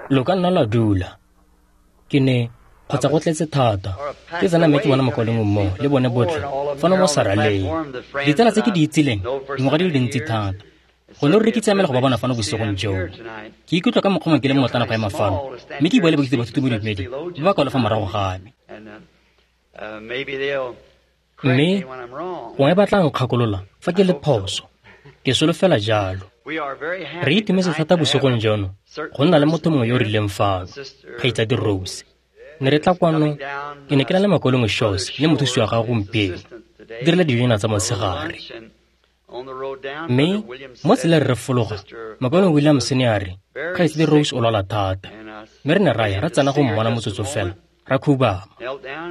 Lo ka nna la dula. Ke ne kgotsa go tletse thata. Ke tsena mme ke bona mokwalengwe mmogo le bone botlhe fano mo saraleng. Ditsala tse ke di itsileng dingwaga di le dintsi thata. Gone ruri ke tsamaela go ba bona fano bosigong joo. Ke ikutlwa ka mokgwa mongwe ke le mmotlana go ema fano, mme ke bua le baithuti ba thutobodumedi ba ba kwalo fa morago ga me. Mme gongwe ba tla nkgakolola fa ke le phoso. Ke solofela jalo. Re itumetse thata bosigong jono go nna le motho mongwe yo o rileng fano, Kgaitsadi Rose. Ne re tla kwano, ke ne ke na le Mokaulengwe Shaws le mothusi wa gagwe gompieno, dirile dijonyana tsa motshegare. Mme mo tseleng re fologa, Mokaulengwe Williams ne a re, Kgaitsadi Rose o lwala thata. Mme re ne ra ya ra tsena go mmona motsotso fela, ra khubama.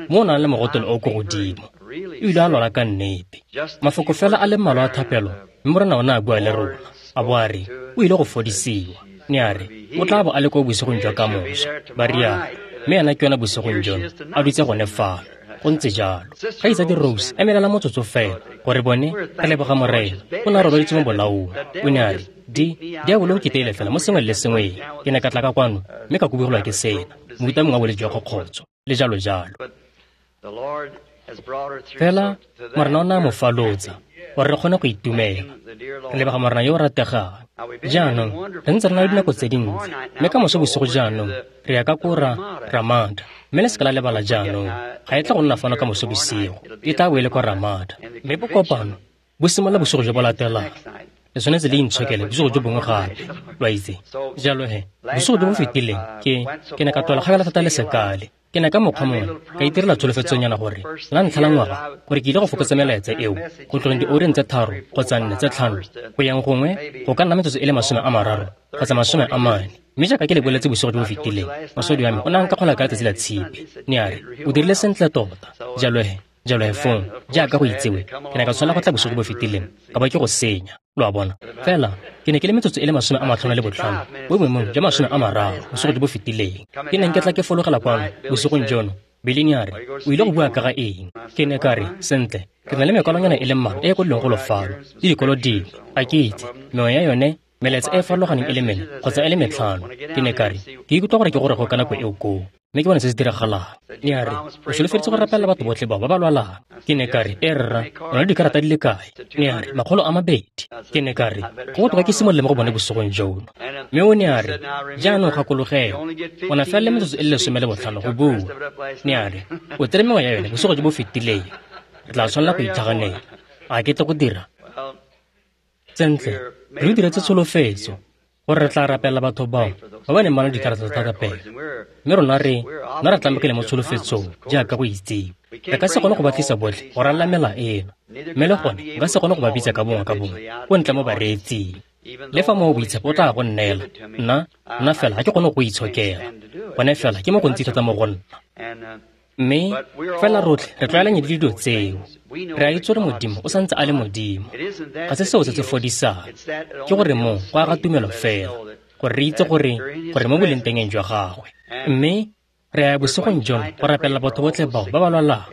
Mo o nang le mogotelo o ko godimo. O ile a lwala ka nnete. Mafoko fela a le mmalwa a thapelo, mme Morena o ne a bua le rona. A bo a re, o ile go fodisiwa. Ne a re, o tla bo a le ko bosigong jwa kamoso. Ba rialo. Mme ena ke yona bosigong jono, a dutse gone fano. Go ntse jalo. Kgaitsadi Rose, emelela motsotso fela, gore bone re leboga Morena. O ne a robaditse mo bolaong. O ne a re, diabolo o nkiteile fela mo sengweng le sengweng. Ke ne ka tla ka kwano, mme ka kubugelwa ke sena, mohuta mongwe wa bolwetse jwa kgokgotsho, le jalo jalo. Fela Morena o ne a mo falotsa, gore re kgone go itumela. Re leboga Morena yo o rategang. Jaanong, re ntse re na le dinako tse dintsi, mme ka moso bosigo jaanong, re ya ka ko Ramada. Mme le seka la lebala jaanong, ga e tla go nna fano ka moso bosigo, e tla bo e le kwa Ramada. Mme bokopano bo simolola bosigo jo bo latelang. Le tshwanetse le intshokele bosigo jo bongwe gape, lo a itse. Jalo he, bosigo jo bo fetileng, ke ne ka tlola kgakala thata le sekale. Ke ne ka mokgwa mongwe ka itirela tsholofetsonyana gore la ntlha la ngwaga gore ke ile go fokotsa melaetsa eo go tlogeng dioureng tse 3 kgotsa 4 tse 5 go yang gongwe go ka nna metsotso e le 30 kgotsa 40. Mme jaaka ke le boletse bosigo jo bo fetileng, mosadi wa me o ne a nkakgola ka letsatsi la Tshipi. Ne a re, o dirile sentle tota. Jalo he fong, jaaka go itsewe, ke ne ka tshwanela go tla bosigo jo bo fetileng ka ba ke go senya. Lo a bona? Fela ke ne ke le metsotso e le 55 mo boemong jwa 30 bosigo jo bo fetileng. Ke neng ke tla ke fologela kwano bosigong jono. Billy ne a re, o ile go bua ka ga eng? Ke ne ka re, sentle, ke na le mekwalonyana e le mmalwa e e kwadilweng golo fano, le dikolo dingwe. Ga ke itse, mengwe ya yone melaetsa e e farologaneng e le mene kgotsa e le metlhano. Ke ne ka re, ke ikutlwa gore ke gore go ka nako eo koo, mme ke bone se se diragalang. Ne a re, o solofeditse go rapelela batho botlhe bao ba ba lwalang. Ke ne ka re, e rra, o na le dikarata di le kae? Ne a re, 200. Ke ne ka re, go botoka ke simolole mo go bone bosigong jono. Mme o ne a re, jaanong gakologelwa, o na fela le metsotso e le 15 go bua. Ne a re, o tsere mengwe ya yone bosigo jo bo fetileng. Re tla tshwanela go itlhaganela. A ke tle go dira? Sentle, re diretse tsholofetso gore re tla rapelela batho bao ba ba neng ba na le dikarata tsa thapelo. Mme rona re nna re tlamegile mo tsholofetsong jaaka go itsewe. Re ka se kgone go ba tlisa botlhe go ralala mela eno, mme le gone nka se kgone go ba bitsa ka bongwe ka bongwe ko ntle mo bareetsing. Le fa moo boitshepo o tla go nneela, nna fela ga ke kgone go itshokela. Gone fela ke mo gontsi thata mo go nna. Mme fela rotlhe re tlwaelanye le dilo tseo. Re a itse gore Modimo o santse a le Modimo. Ga se seo se se fodisang. Ke gore moo go aga tumelo fela, gore re itse gore mo boleng tengeng jwa gagwe. Mme re ya bosigong jono go rapelela batho botlhe bao ba ba lwalang.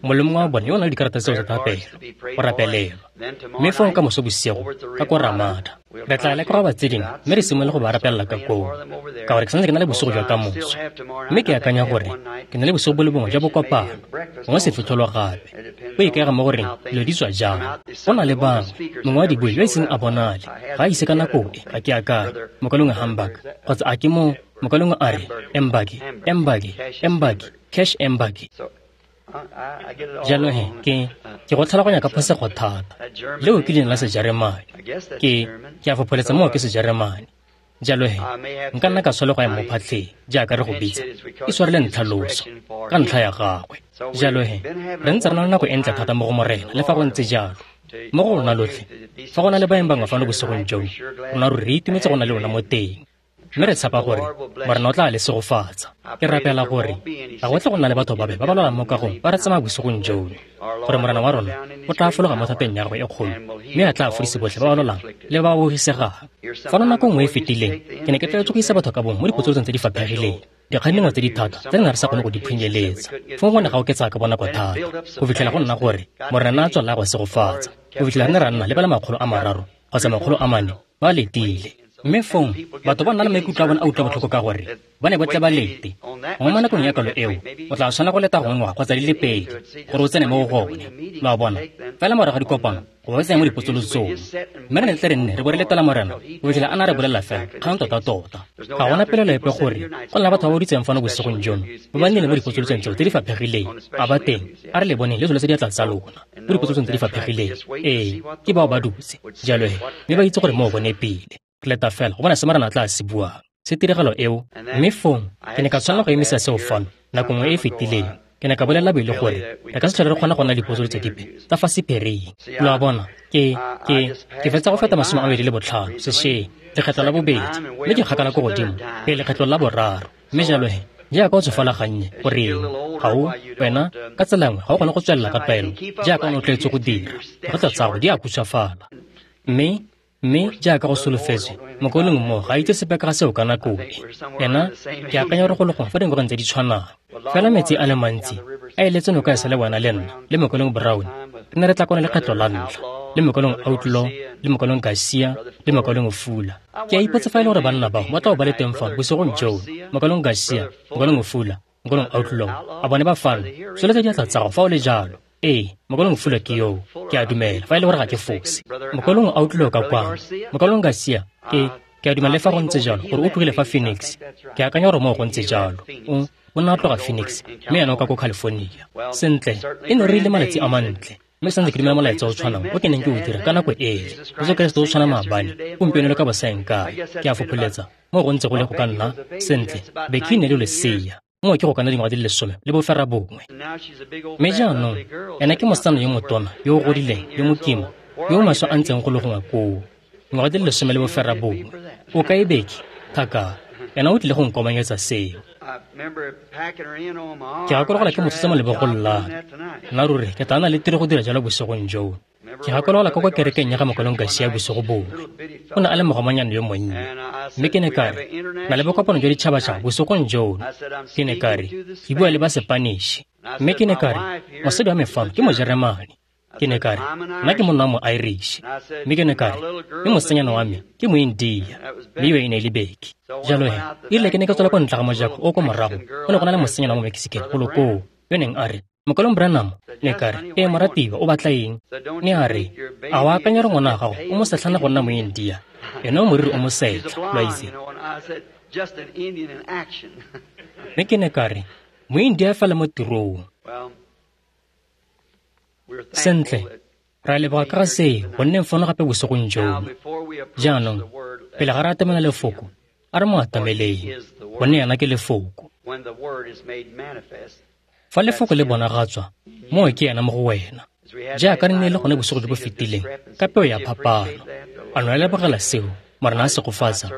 Mongwe le mongwe wa bone yo o nang le dikarata tseo tsa thapelo, go rapelelwa. Mme fong ka moso bosigo ka ko Ramada, re tla leka go ba tse dingwe mme re simolole go ba rapelela ka koo, ka gore ke santse ke na le bosigo jwa kamoso. Mme ke akanya gore ke na le bosigo bo le bongwe jwa bokopano, gongwe sefitlholo gape. Go ikaega mo goreng dilo di tswa jang. Go na le bangwe, mongwe wa dibui yo e seng a bonale, ga a ise ka nako e, ga ke akanye, mokalengwe Hamburg, kgotsa a ke mo mokalengwe a re, Embaki, Cash Embaki. Jalo he, ke go tlhaloganya ka phosego thata. Leo ke leina la Sejeremane. Ke a fopholetsa moo ke Sejeremane. Jalo he, nka nna ka tshwanela go ya mo phatlheng, jaaka re go bitsa, ke tshwarele ntlhaloso ka ntlha ya gagwe. Jalo he, re ntse re na le nako e ntle thata mo go Morena, le fa go ntse jalo. Mo go rona lotlhe, fa go na le baeng bangwe fano bosigong jono, rona ruri re itumetse go na le lona mo teng. Mme re tshepa gore Morena o tla le segofatsa. Ke rapela gore ga go tle go nna le batho babe ba ba lwalang mo kagong ba re tsamaya bosigong jono, gore Morena wa rona o tla fologa mo thateng ya gagwe e kgolo mme a tla fodise botlhe ba ba lwalang le ba ba bogisegang. Fano nako nngwe e fetileng, ke ne ke tlwaetse go isa batho ka bongwe mo dipotsolotsong tse di faphegileng, dikgang dingwe tse di thata tse re neng re sa kgone go di phunyeletsa. Fong go ne ga oketsa ka bonako thata go fitlhela go nna gore Morena a tswelela go segofatsa, go fitlhela re ne ra nna le ba le 300 kgotsa 400 ba letile. Mme fong batho ba nna le maikutlo a bone a utlwa botlhoko ka gore ba ne ba tle ba lete. Gongwe mo nakong ya kalo eo o tla tshwanela go leta gongwe ngwaga kgotsa di le pedi gore o tsene mo go gone. Lo a bona? Fela morago ga dikopano go ba tsenya mo dipotsolotsong. Mme re ne tle re nne re bo re letela Morena go fitlhela a na re bolelela fela kgang tota-tota. Ga gona pelaelo epe gore go nna batho ba ba boditseng fano bosigong jono ba ba nnile mo dipotsolotsong tseo tse di faphegileng. A ba teng, a re le boneng le tsholetse diatla tsa lona mo dipotsolotsong tse di faphegileng. Ee, ke bao ba dutse jalo he, mme ba itse gore moo bone pele. Re leta fela go bona se Morena a tla se buang, se tiragalo eo. Mme fong ke ne ka tshwanela go emisa seo fano nako nngwe e e fetileng. Ke ne ka bolelela Bele gore re ka se tlhole re kgona go nna dipotsolotso dipe tsa fa sephiring. Lo a bona, ke fetsa go feta 25 sešweng, lekgetlo la bobedi, mme ke kgakala ko godimo pele lekgetlo la boraro. Mme jalo he, jaaka o tsofala gannye, goreng ga o wena ka tsela nngwe ga o kgone go tswelela ka tlwaelo jaaka o ne o tlwaetse go dira, dikgotla tsa gago di a khutshwafala. Mme jaaka go solofetswe, mokaulengwe mo ga a itse sepe ka ga seo ka nako e. Ena ke akanya gore go le gongwe fa dingwageng tse di tshwanang. Fela metsi a le mantsi a eletse noka e sa le wena le nna le mokaulengwe Brown re ne re tla kwana lekgetlo la ntlha, le mokaulengwe Outlaw, le mokaulengwe Garcia, le mokaulengwe Fuller. Ke a ipotsa fa e le gore banna bao ba tla bo ba le teng fano bosigong jono. Mokaulengwe Garcia, mokaulengwe Fuller, mokaulengwe Outlaw, a bone ba fano? Tsholetsa diatla tsa gago fa o le jalo. Ee, mokaulengwe Fuller ke yoo, ke a dumela, fa e le gore ga ke fose. Mokaulengwe Outlaw ka kwano, mokaulengwe Garcia, ke a dumela le fa go ntse jalo gore o tlogile fa Phoenix. Ke akanya gore moo go ntse jalo. O ne a tloga Phoenix, mme ena o ka ko California. Sentle, e ne re ile malatsi a mantle, mme santse ke dumela molaetsa o tshwanang o ke neng ke o dira ka nako ele. Jesu Keresete o tshwana maabane, gompieno le ka bosaeng kae. Ke a fopholetsa moo go ntse go le go ka nna sentle. Becky ne le lesea, moo ke go ka nna dingwaga di le 19. Mme jaanong ena ke mosetsana yo motona, yo o godileng, yo mokima, yo o maswe a ntseng go le gongwe koo, dingwaga di le 19. O kae Becky? Thaka, ena o tlile go nkomanyetsa seo. Ke gakologelwa ke mo tshotse mo lebogong la me. Nna ruri ke tla nna le tiro go dira jalo bosigong joo. Ke gakologelwa ka kwa kerekeng ya ga mokaulengwe Garcia bosigo bongwe. O ne a le mogomanyane yo monnye. Mme ke ne ka re, na le bokopano jwa ditšhabatšhaba bosigong jono. Ke ne ka re, ke bua le ba Sepaniše. Mme ke ne ka re, mosadi wa me fano ke Mojeremane. Ke ne ka re, nna ke monna wa mo-Irish. Mme ke ne ka re, mme mosetsanyana wa me ke Moindia. Mme eo e ne e le Becky. Jalo he, erile ke ne ke tswela ko ntle ga mojako o ko morago, go ne go na le mosetsanyana wa mo-Mexican golo koo, yo neng a re, mokaulengwe Branham. Ne ka re, ee moratiwa, o batla eng? Ne a re, a o akanya gore ngwana wa gago o mosetlhana go nna Moindia? Ene o moriri o mosetlha, lo a itse. Mme ke ne ka re, Moindia fela mo tirong. Sentle, re a leboga ka ga seo go nneng fano gape bosigong jono. Jaanong, pele ga re atamela lefoko, a re mo atameleng, gonne ena ke lefoko. Fa lefoko le bonagatswa, moo ke ena mo go wena. Jaaka re ne le gone bosigo jo bo fetileng, ka peo ya phapano. A no lebogela seo, Morena a segofatsa.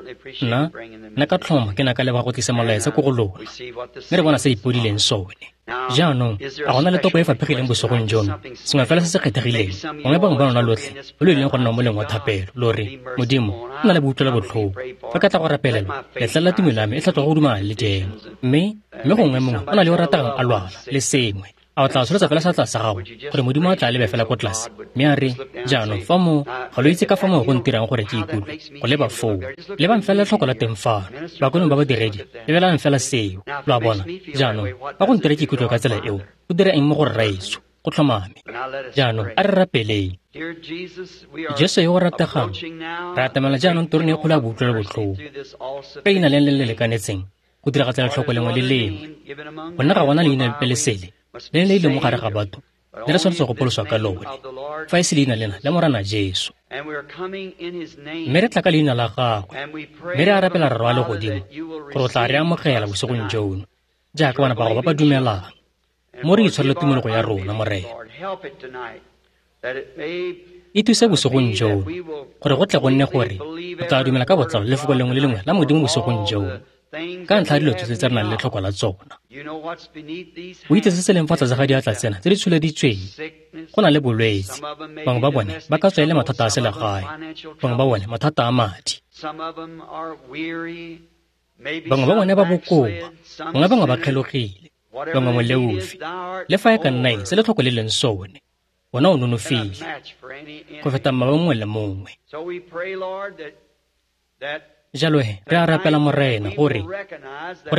Nna ka tlhomo ke ne ka leboga go tlisa molaetsa ko go lona. Mme re bona se ipodileng sone. Jaanong, a gona le topo e faphegileng bosigong jono, sengwe fela se se kgethegileng, gongwe bangwe ba lona lotlhe lo lo ileng go nna mo moleng wa thapelo, lo re, Modimo, nna le boutlwelo botlhoko. Fa ka tla go rapelelwa, letlelela tumelo ya me e tla tloga go dumana le jeno. Mme gongwe mongwe o na le yo o rategang a lwala, le sengwe. A o tla tsholetsa fela seatla sa gago gore Modimo a tla lebe fela ko tlase, mme a re, jaanong fa mo ga lo itse ka fa moo go ntirang gore ke ikutlwe go leba foo. Lebang fela letlhoko la teng fano, bakonong ba badiredi, lebelang fela seo. Lo a bona? Jaanong fa go ntira ke ikutlwe ka tsela eo, go dira eng mo go rraetsho? Go tlhomame. Jaanong a re rapeleng. Jesu yo o rategang, re atamela jaanong terone e kgolo ya boutlwelo botlhoko ka leina le le lekanetseng go diragatsa letlhoko lengwe le lengwe. Gonne ga gona leina lepe le sele le le ile mo gare ga batho le re tshwanetse go pholoswa ka lone, fa e se leina lena la Morena Jesu. Mme re tla ka leina la gagwe, mme re a rapela Rra wa legodimo gore o tla re amogela bosigong jono jaaka bana ba gago ba ba dumelang. Mo re itshwarele tumologo ya rona, Morena. E thuse bosigong jono gore go tle go nne gore o tla dumela ka botlalo lefoko lengwe le lengwe la Modimo bosigong jono, ka ntlha ya dilo tsotlhe tse re nang le tlhoko la tsona. O itse se se leng fa tlase ga diatla tsena tse di tsholeditsweng. Go na le bolwetse, bangwe ba bone ba ka tswa e le mathata a selegae, bangwe ba bone mathata a madi, bangwe ba bone ba bokoa, bangwe bangwe ba kgelogile, bangwe moleofi. Le fa e ka nna eng se letlhoko le leng sone, wena o nonofile go feta mmaba mongwe le mongwe. Jalo he, re a rapela Morena gore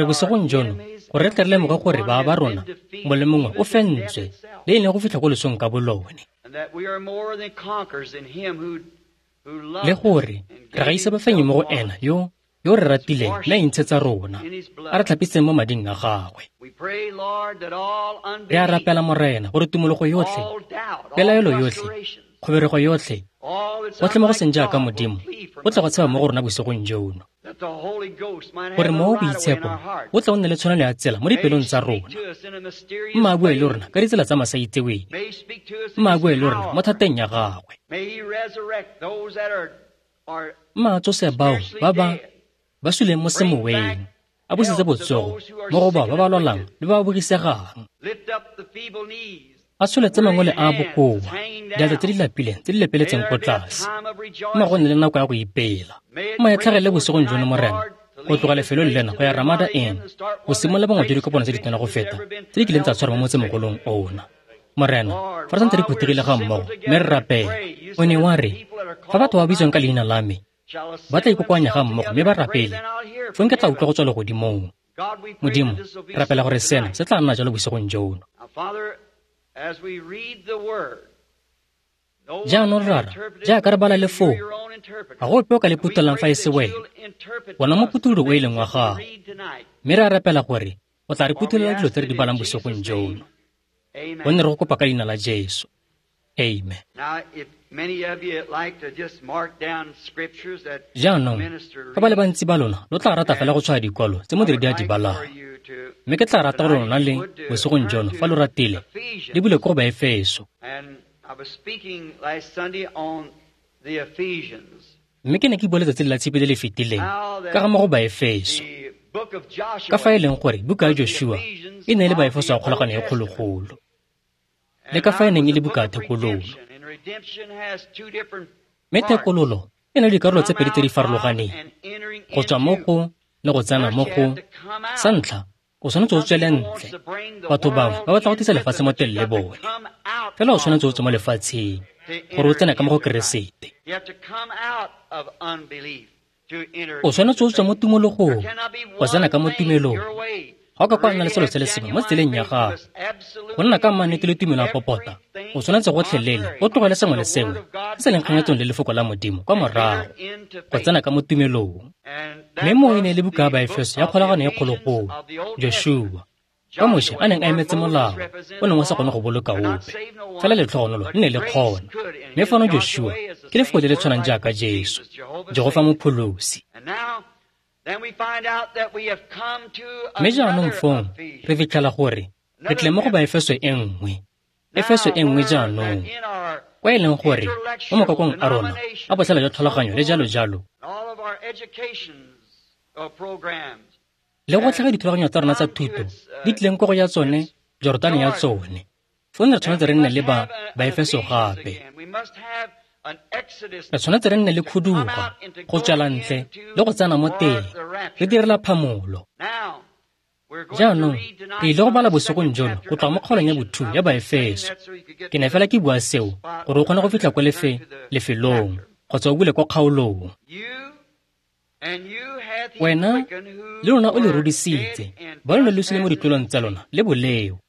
bosigong jono gore re tle re lemoge gore ba ba rona mongwe le mongwe o fentswe le e leng go fitlha ko losong ka bolone, le gore re gaisa bafenyi mo go ena yo re ratileng mme a intshetsa rona, a re tlhapiseng mo mading a gagwe. Re a rapela Morena gore tumologo yotlhe, pelaelo yotlhe, kgoberego yotlhe, gotlhe mo go seng jaaka Modimo go tle go tshaba mo go rona bosigong jono, gore Mowa o Boitshepo o tle o nne le tshwanelo ya tsela mo dipelong tsa rona. Mma a bue le rona ka ditsela tsa masaitseweng, mma a bue le rona mo thateng ya gagwe. Mma a tsose bao ba ba suleng mo semoweng, a busetse botsogo mo go bao ba ba lwalang le ba ba bogisegang, a tsholetse mangwele a bokoa, diatla tse di lapileng tse di lepeletseng ko tlase. Mma go nne le nako ya go ipela. Mma e tlhagelele bosigong jono Morena, go tloga lefelong lena go ya Ramada Inn, go simolola bongwe jwa dikopano tse ditona go feta tse di kileng tsa tshwarwa mo motsemogolong ona. Morena, fa re santse re phuthegile ga mmogo mme re rapela, o ne wa re, fa batho ba bitswang ka leina la me ba tla ikokoanya ga mmogo mme ba rapele, fong ke tla utlwa go tswa legodimong. Modimo, rapela gore sena se tla nna jalo bosigong jono. Jaanong Rara, jaaka re bala lefoko, ga go ope o ka le phuthelang fa e se wena, wena moputulodi o e leng wa gago. Mme re a rapela gore o tla re phuthulela dilo tse re di balang bosigong jono, gonne re go kopa ka leina la Jesu. Amen. Jaanong, fa ba le bantsi ba lona lo tla rata fela go tshwaya dikwalo tse modiredi a di balang, mme ke tla rata gore lona le bosigong jono, fa lo ratile, le bule ko go Baefeso. Mme ke ne ke bua letsatsi la Tshipi le le fetileng ka ga mo go Baefeso, ka fa e leng gore buka ya Joshua e ne e le Baefeso ya kgolagano e kgologolo, le ka fa e neng e le buka ya thekololo. Mme thekololo e na le dikarolo tse pedi tse di farologaneng, go tswa mo go le go tsena mo go. Sa ntlha, o tshwanetse o tswele ntle. Batho bangwe ba batla go tlisa lefatshe mo teng le bone, fela o tshwanetse o tswe mo lefatsheng gore o tsene ka mo go Keresete. O tshwanetse o tswe mo tumologong go tsena ka mo tumelong. Ga o ka kwa nna le selo se le sengwe mo tseleng ya gago, go nna ka mannete le tumelo ya popota, o tshwanetse gotlhelele o tlogele sengwe le sengwe se se leng kganyetsong le lefoko la Modimo kwa morago go tsena ka mo tumelong. Mme moo e ne e le buka ya Baefeso ya kgolagano e kgologolo, Joshua, ka Moshe a neng a emetse molao o neng o sa kgone go boloka ope, fela letlhogonolo le ne le kgona. Mme fano Joshua ke lefoko le le tshwanang jaaka Jesu, Jehofa Mopholosi. Mme jaanong fong re fitlhela gore re tle mo go Baefeso e nngwe, Efeso e nngwe jaanong, kwa e leng gore mo makokong a rona a botlhale jwa tlhaloganyo le jalo jalo, le go tlhaga dithulaganyo tsa rona tsa thuto di tlileng ko go ya tsone Jordan ya tsone, fong re tshwanetse re nne le ba Baefeso gape. Re tshwanetse re nne le khuduga go tswela ntle le go tsena mo teng, re direla phamolo. Jaanong re ile go bala bosigong jono go tloga mo kgaolong ya bothu ya Baefeso. Ke ne fela ke bua seo gore o kgone go fitlha ko lefelong kgotsa o bule kwa kgaolong. Wena le lona o le rudisitse, ba lone lo sule mo ditlolong tsa lona le boleo,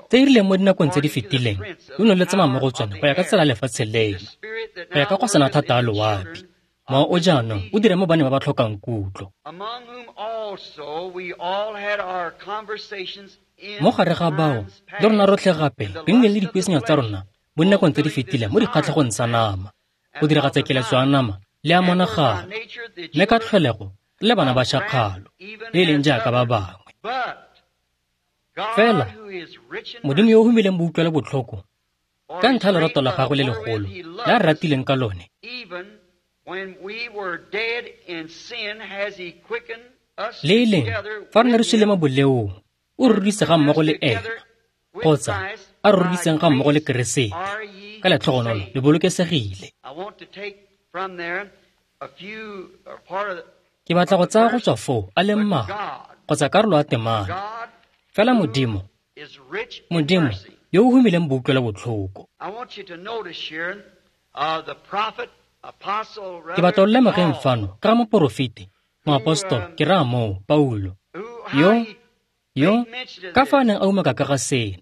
tse e rileng mo dinakong tse di fetileng lo ne le tsamaya mo go tsone go ya ka tsela ya lefatshe leno, go ya ka go sena thata a loapi. Mowa o jaanong o dire mo baneng ba ba tlhokang kutlo. Mo gare ga bao le rona rotlhe gape re nnile le dipuisanyo tsa rona mo dinakong tse di fetileng mo dikgatlhegong tsa nama, go diragatsa keletso ya nama le ya monagano, mme ka tlholego re le bana ba tšhakgalo, le e leng jaaka ba bangwe. Fela Modimo yo o humileng boutlwelo botlhoko ka ntlha ya lorato la gagwe le legolo le a re ratileng ka lone, le e leng fa re ne re sule mo boleong, o re rudise ga mmogo le ena, kgotsa a re rudiseng ga mmogo le Keresete. Ka letlhogonolo le bolokesegile. Ke batla go tsaya go tswa foo a le mmalwa kgotsa karolo ya temana. Fela Modimo, Modimo yo o humileng boutlwelo botlhoko. Ke batla o lemogeng fano ka ga moporofeti, moapostolo, ke raya moo, Paulo, yo ka fa a neng a umaka ka ga sena,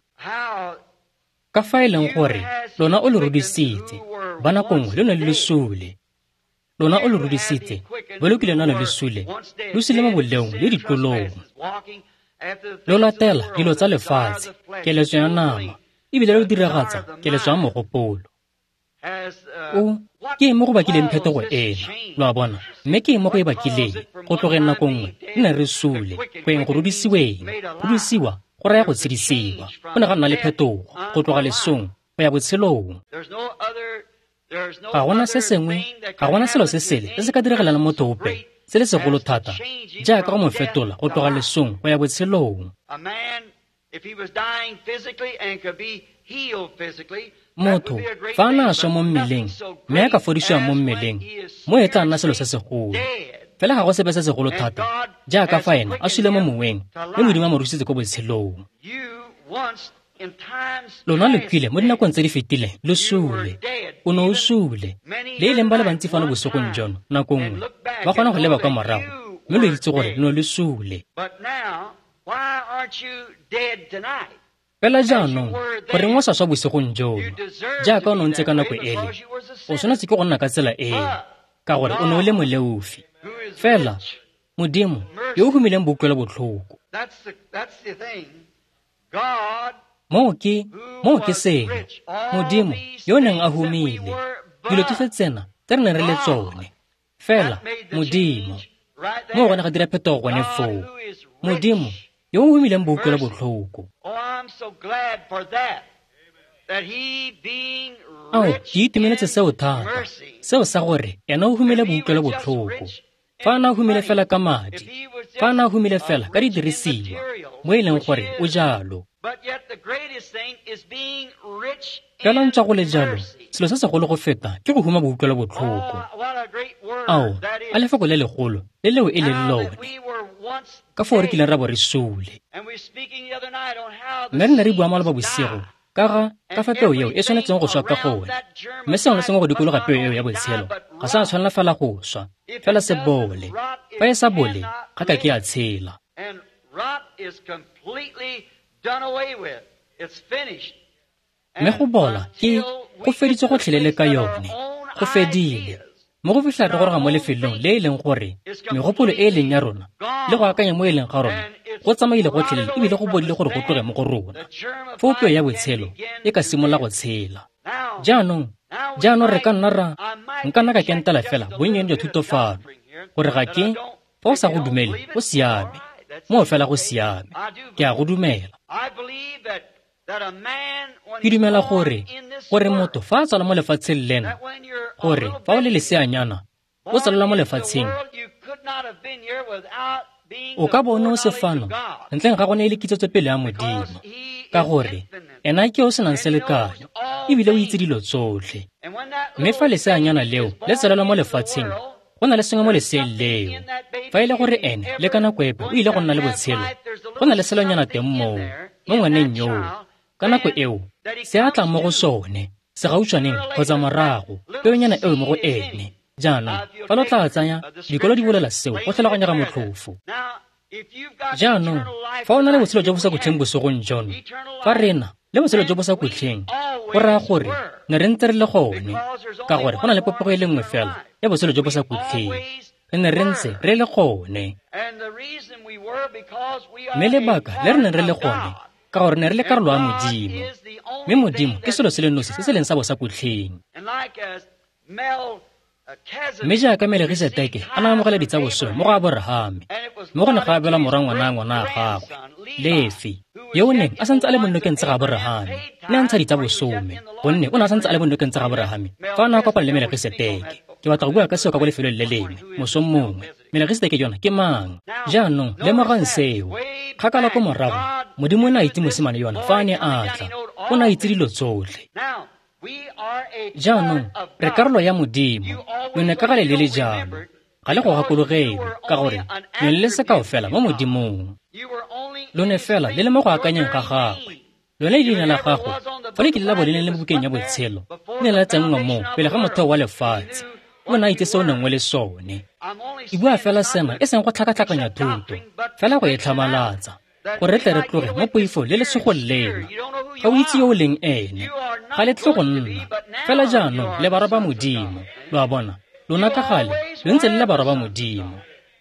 ka fa e leng gore lona o le rudisitse, ba nako nngwe lo ne le sule. Lona o le rudisitse, ba lo kileng lwa ne le sule, lo sule mo boleong le ditlolong. Lo latela dilo tsa lefatshe, keletso ya nama, ebile lo diragatsa keletso ya mogopolo. O ke eng mo go bakileng phetogo ena, lo a bona, mme ke eng mo go e bakileng go tlogeng nako nngwe re ne re sule go eng go rudisiweng. Rudisiwa go raya go tshedisiwa. Go ne ga nna le phetogo go tloga lesong go ya botshelong. Ga gona se sengwe, ga gona selo se sele se se ka diragalang motho ope se le segolo thata jaaka go mo fetola go tloga lesong go ya botshelong. Motho fa a na a swa mo mmeleng mme a ka fodisiwa mo mmeleng, mo e tla nna selo se segolo. Fela ga go sepe se segolo thata jaaka fa ena a sule mo moweng mme Modimo a mo rusitse ko botshelong. Lona lo kwile mo dinakong tse di fetileng lo sule, o ne o sule. Le e leng ba le bantsi fano bosigong jono nako nngwe ba kgona go leba kwa morago mme lo itse gore lo ne lo sule. Fela jaanong goreng o sa swa bosigong jono jaaka o ne o ntse ka nako ele, o tshwanetse ke go nna ka tsela eo ka gore o ne o le moleofi. Fela Modimo yo o humileng boutlwelo botlhoko. Moo ke selo, Modimo yo o neng a humile dilo tsotlhe tsena tse re neng re le tsone. Fela Modimo moo gone ga dira phetogo gone foo. Modimo yo o humileng boutlwelo botlhoko. Ao, ke itumeletse seo thata, seo sa gore ena o humile boutlwelo botlhoko. Fa a na humile fela ka madi, fa a na humile fela ka didirisiwa, mo e leng gore o jalo. Fela ntswa go le jalo, selo se segolo go feta ke go huma boutlwelo botlhoko. Ao, a lefoko le legolo le leo e leng lone, ka foo re kileng ra bo re sule. Mme re ne re bua maloba bosigo ka ga ka fa peo eo e tshwanetseng go swa ka gone, mme sengwe le sengwe go dikologa peo eo ya botshelo ga se a tshwanela fela go swa, fela se bole. Fa e sa bole, ga ka ke a tshela. Mme go bola ke go feditse gotlhelele ka yone, go fedile. Mo go fitlha re goroga mo lefelong le e leng gore megopolo e e leng ya rona le go akanya mo e leng ga rona go tsamaile gotlhelele ebile go bodile gore go tloge mo go rona. Foo peo ya botshelo e ka simolola go tshela. Jaanong re ka nna ra nka nna ka kentela fela bonnyane jwa thuto fano gore ga ke fa o sa go dumele go siame, moo fela go siame, ke a go dumela. Ke dumela gore motho fa a tswala mo lefatsheng lena, gore fa o le leseanyana o tsalelwa mo lefatsheng, o ka bo o ne o se fano ntleng ga go ne e le kitsetsopele ya Modimo, ka gore ena ke o senang selekanyo ebile o itse dilo tsotlhe. Mme fa leseanyana leo le tsalelwa mo lefatsheng, go na le sengwe mo leseeng leo. Fa e le gore ene le ka nako epe o ile go nna le botshelo, go na le selonyana teng moo mo ngwaneng yoo. Ka nako eo se a tlang mo go sone segautshwaneng kgotsa morago, peonyana eo mo go ene. Jaanong fa lo tla tsaya dikolo di bolela seo go tlhaloganyega motlhofo. Jaanong fa o na le botshelo jo bo sa khutleng bosigong jono, fa re na le botshelo jo bo sa khutleng, go raya gore ne re ntse re le gone, ka gore go na le popego e le nngwe fela ya botshelo jo bo sa khutleng. Re ne re ntse re le gone. Mme lebaka le re neng re le gone, ka gore ne re le karolo ya Modimo, mme Modimo ke selo se le nosi se se leng sa bosakhutleng. Mme jaaka Melkisedeke a ne a amogela ditsabosome mo go Aborahame, mme go ne ga abelwa morwa ngwana a gagwe, Lefi, yo o neng a santse a le mo nokeng tsa ga Aborahame, ne a ntsha ditsabosome, gonne o ne a santse a le mo nokeng tsa ga Aborahame fa a ne a kopana le Melkisedeke. Ke batla go bua ka seo ka ko lefelong le lengwe mosong mongwe. Melkisedeke yona ke mang? Jaanong lemogang seo. Kgakala ko morago, Modimo o ne a itse mosimane yona fa a ne a tla. O ne a itse dilo tsotlhe. Jaanong re karolo ya Modimo. Lone ka gale le le jalo. Ga le go gakologelwe, ka gore le le sekao fela mo Modimong. Lone fela le le mo go akanyeng ga gagwe. Lone leina la gago Fa le kile la bo le ne le mo bukeng ya botshelo, le ne la tsenngwa moo pele ga motheo wa lefatshe. O ne a itse se o neng o le sone. Ke bua fela sena e seng go tlhakatlhakanya thuto, fela go e tlhamalatsa, gore re tle re tloge mo poifong le lesogong lena. Ga o itse yo o leng ene, ga le tle go nna. Fela jaanong le barwa ba Modimo, lo a bona. Lona ka gale lo ntse le le barwa ba Modimo,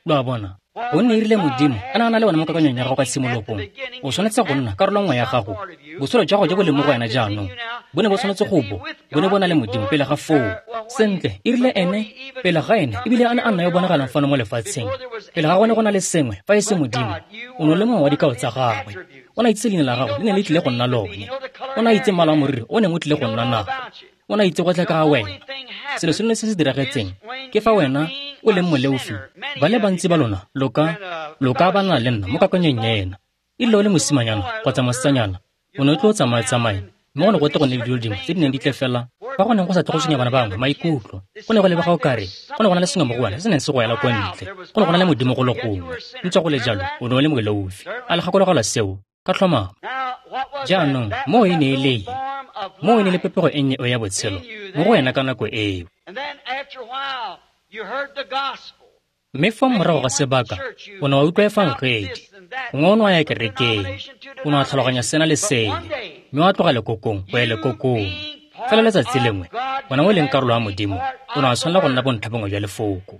lo a bona. Gonne e rile Modimo a ne a na le wena mo kakanyong ya gago kwa tshimologong, o tshwanetse go nna karolo nngwe ya gago. Botshelo jwa gago jo bo leng mo go wena jaanong bo ne bo tshwanetse go bo bo ne bo na le Modimo pele ga foo. Sentle, e rile ene pele ga ene ebile a ne a nna yo bonagalang fano mo lefatsheng, pele ga gone go na le sengwe fa e se Modimo, o ne o le mongwe wa dikao tsa gagwe. O ne a itse leina la gago le ne le tlile go nna lone. O ne a itse mmala wa moriri o neng o tlile go nna nago. O ne a itse gotlhe ka ga wena. Selo se lone se se diragetseng ke fa wena o leng moleofi. Ba le bantsi ba lona lo ka ba na le nna mo kakanyong ena. E rile o le mosimanyana kgotsa mosetsanyana, o ne o tlo o tsamaya-tsamaya, mme go ne go tle go nne le dilo dingwe tse di neng di tle fela fa go neng go sa tle go tshwenya bana bangwe maikutlo. Go ne go lebega o kare go ne go na le sengwe mo go wena se se neng se go ela kwa ntle. Go ne go na le Modimo go le gongwe. Ntswa go le jalo, o ne o le moleofi. A le gakologelwa seo ka tlhomamo? Jaanong moo e ne e le eng? Moo e ne e le popego e nnye eo ya botshelo mo go wena ka nako eo. Mme fa morago ga sebaka o ne wa utlwa efangedi, gongwe o ne wa ya kerekeng, o ne wa tlhaloganya sena le sele, mme wa tloga lekokong go ya lekokong. Fela letsatsi lengwe, wena o leng karolo ya Modimo, o ne wa tshwanela go nna bontlhabongwe jwa lefoko.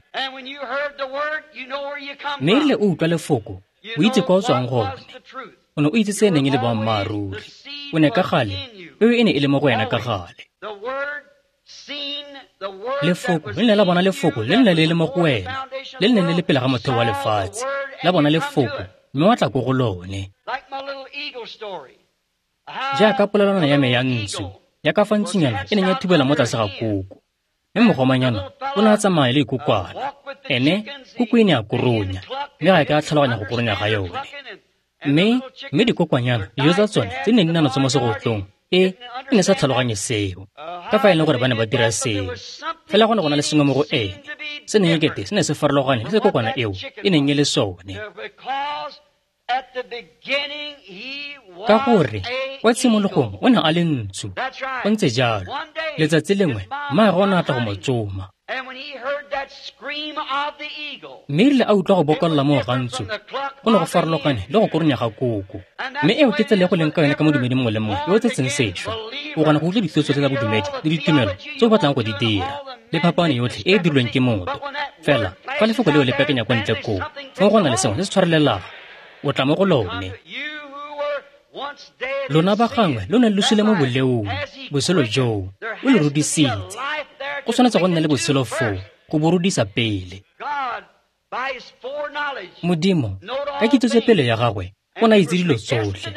Mme e rile o utlwa lefoko, o itse kwa o tswang gone. O ne o itse se e neng e le boammaaruri. O ne ka gale, peo e ne e le mo go wena ka gale. Lefoko le ne la bona lefoko le ne le le mo go wena, le le neng le le pele ga motheo wa lefatshe. La bona lefoko, mme wa tla ko go lone. Jaaka polelwana ya me ya ntsu, ya ka fa ntsunyana e neng ya thubela mo tlase ga koko. Mme mogomanyana o ne a tsamaya le ikokwana. Ene koko e ne a koronya, mme ga e ka a tlhaloganya go koronya ga yone. Mme dikokwanyana, dijo tsa tsone tse neng di na natso mo segotlong, e ne sa tlhaloganye seo, ka fa e leng gore ba ne ba dira seo. Fela go ne go na le sengwe mo go ene se neng ekete se ne se farologane le se kokwana eo e neng e le sone. Ka gore kwa tshimologong o ne a le ntsu, o ntse jalo. Letsatsi lengwe mmaagwe o ne a tla go mo tsoma. Mme e rile a utlwa go bokolla moo ga ntsu, go ne go farologane le go koronya ga koko. Mme eo ke tsela e go leng ka yone ka modumedi mongwe le mongwe yo o tsetseng sešwa. O kgona go utlwa dithuto tsotlhe tsa bodumedi le ditumelo tse o batlang go di dira, le phapano yotlhe e e dirilweng ke motho. Fela fa lefoko leo le pekenya kwa ntle koo, fong go na le sengwe se se tshwarelelang, o tla mo go lone. Lona ba gangwe lo ne lo sule mo boleong, botshelo joo o le rudisitse. Go tshwanetse go nna le botshelo foo go bo rudisa pele. Modimo, ka kitso pele ya gagwe, o ne a itse dilo tsotlhe,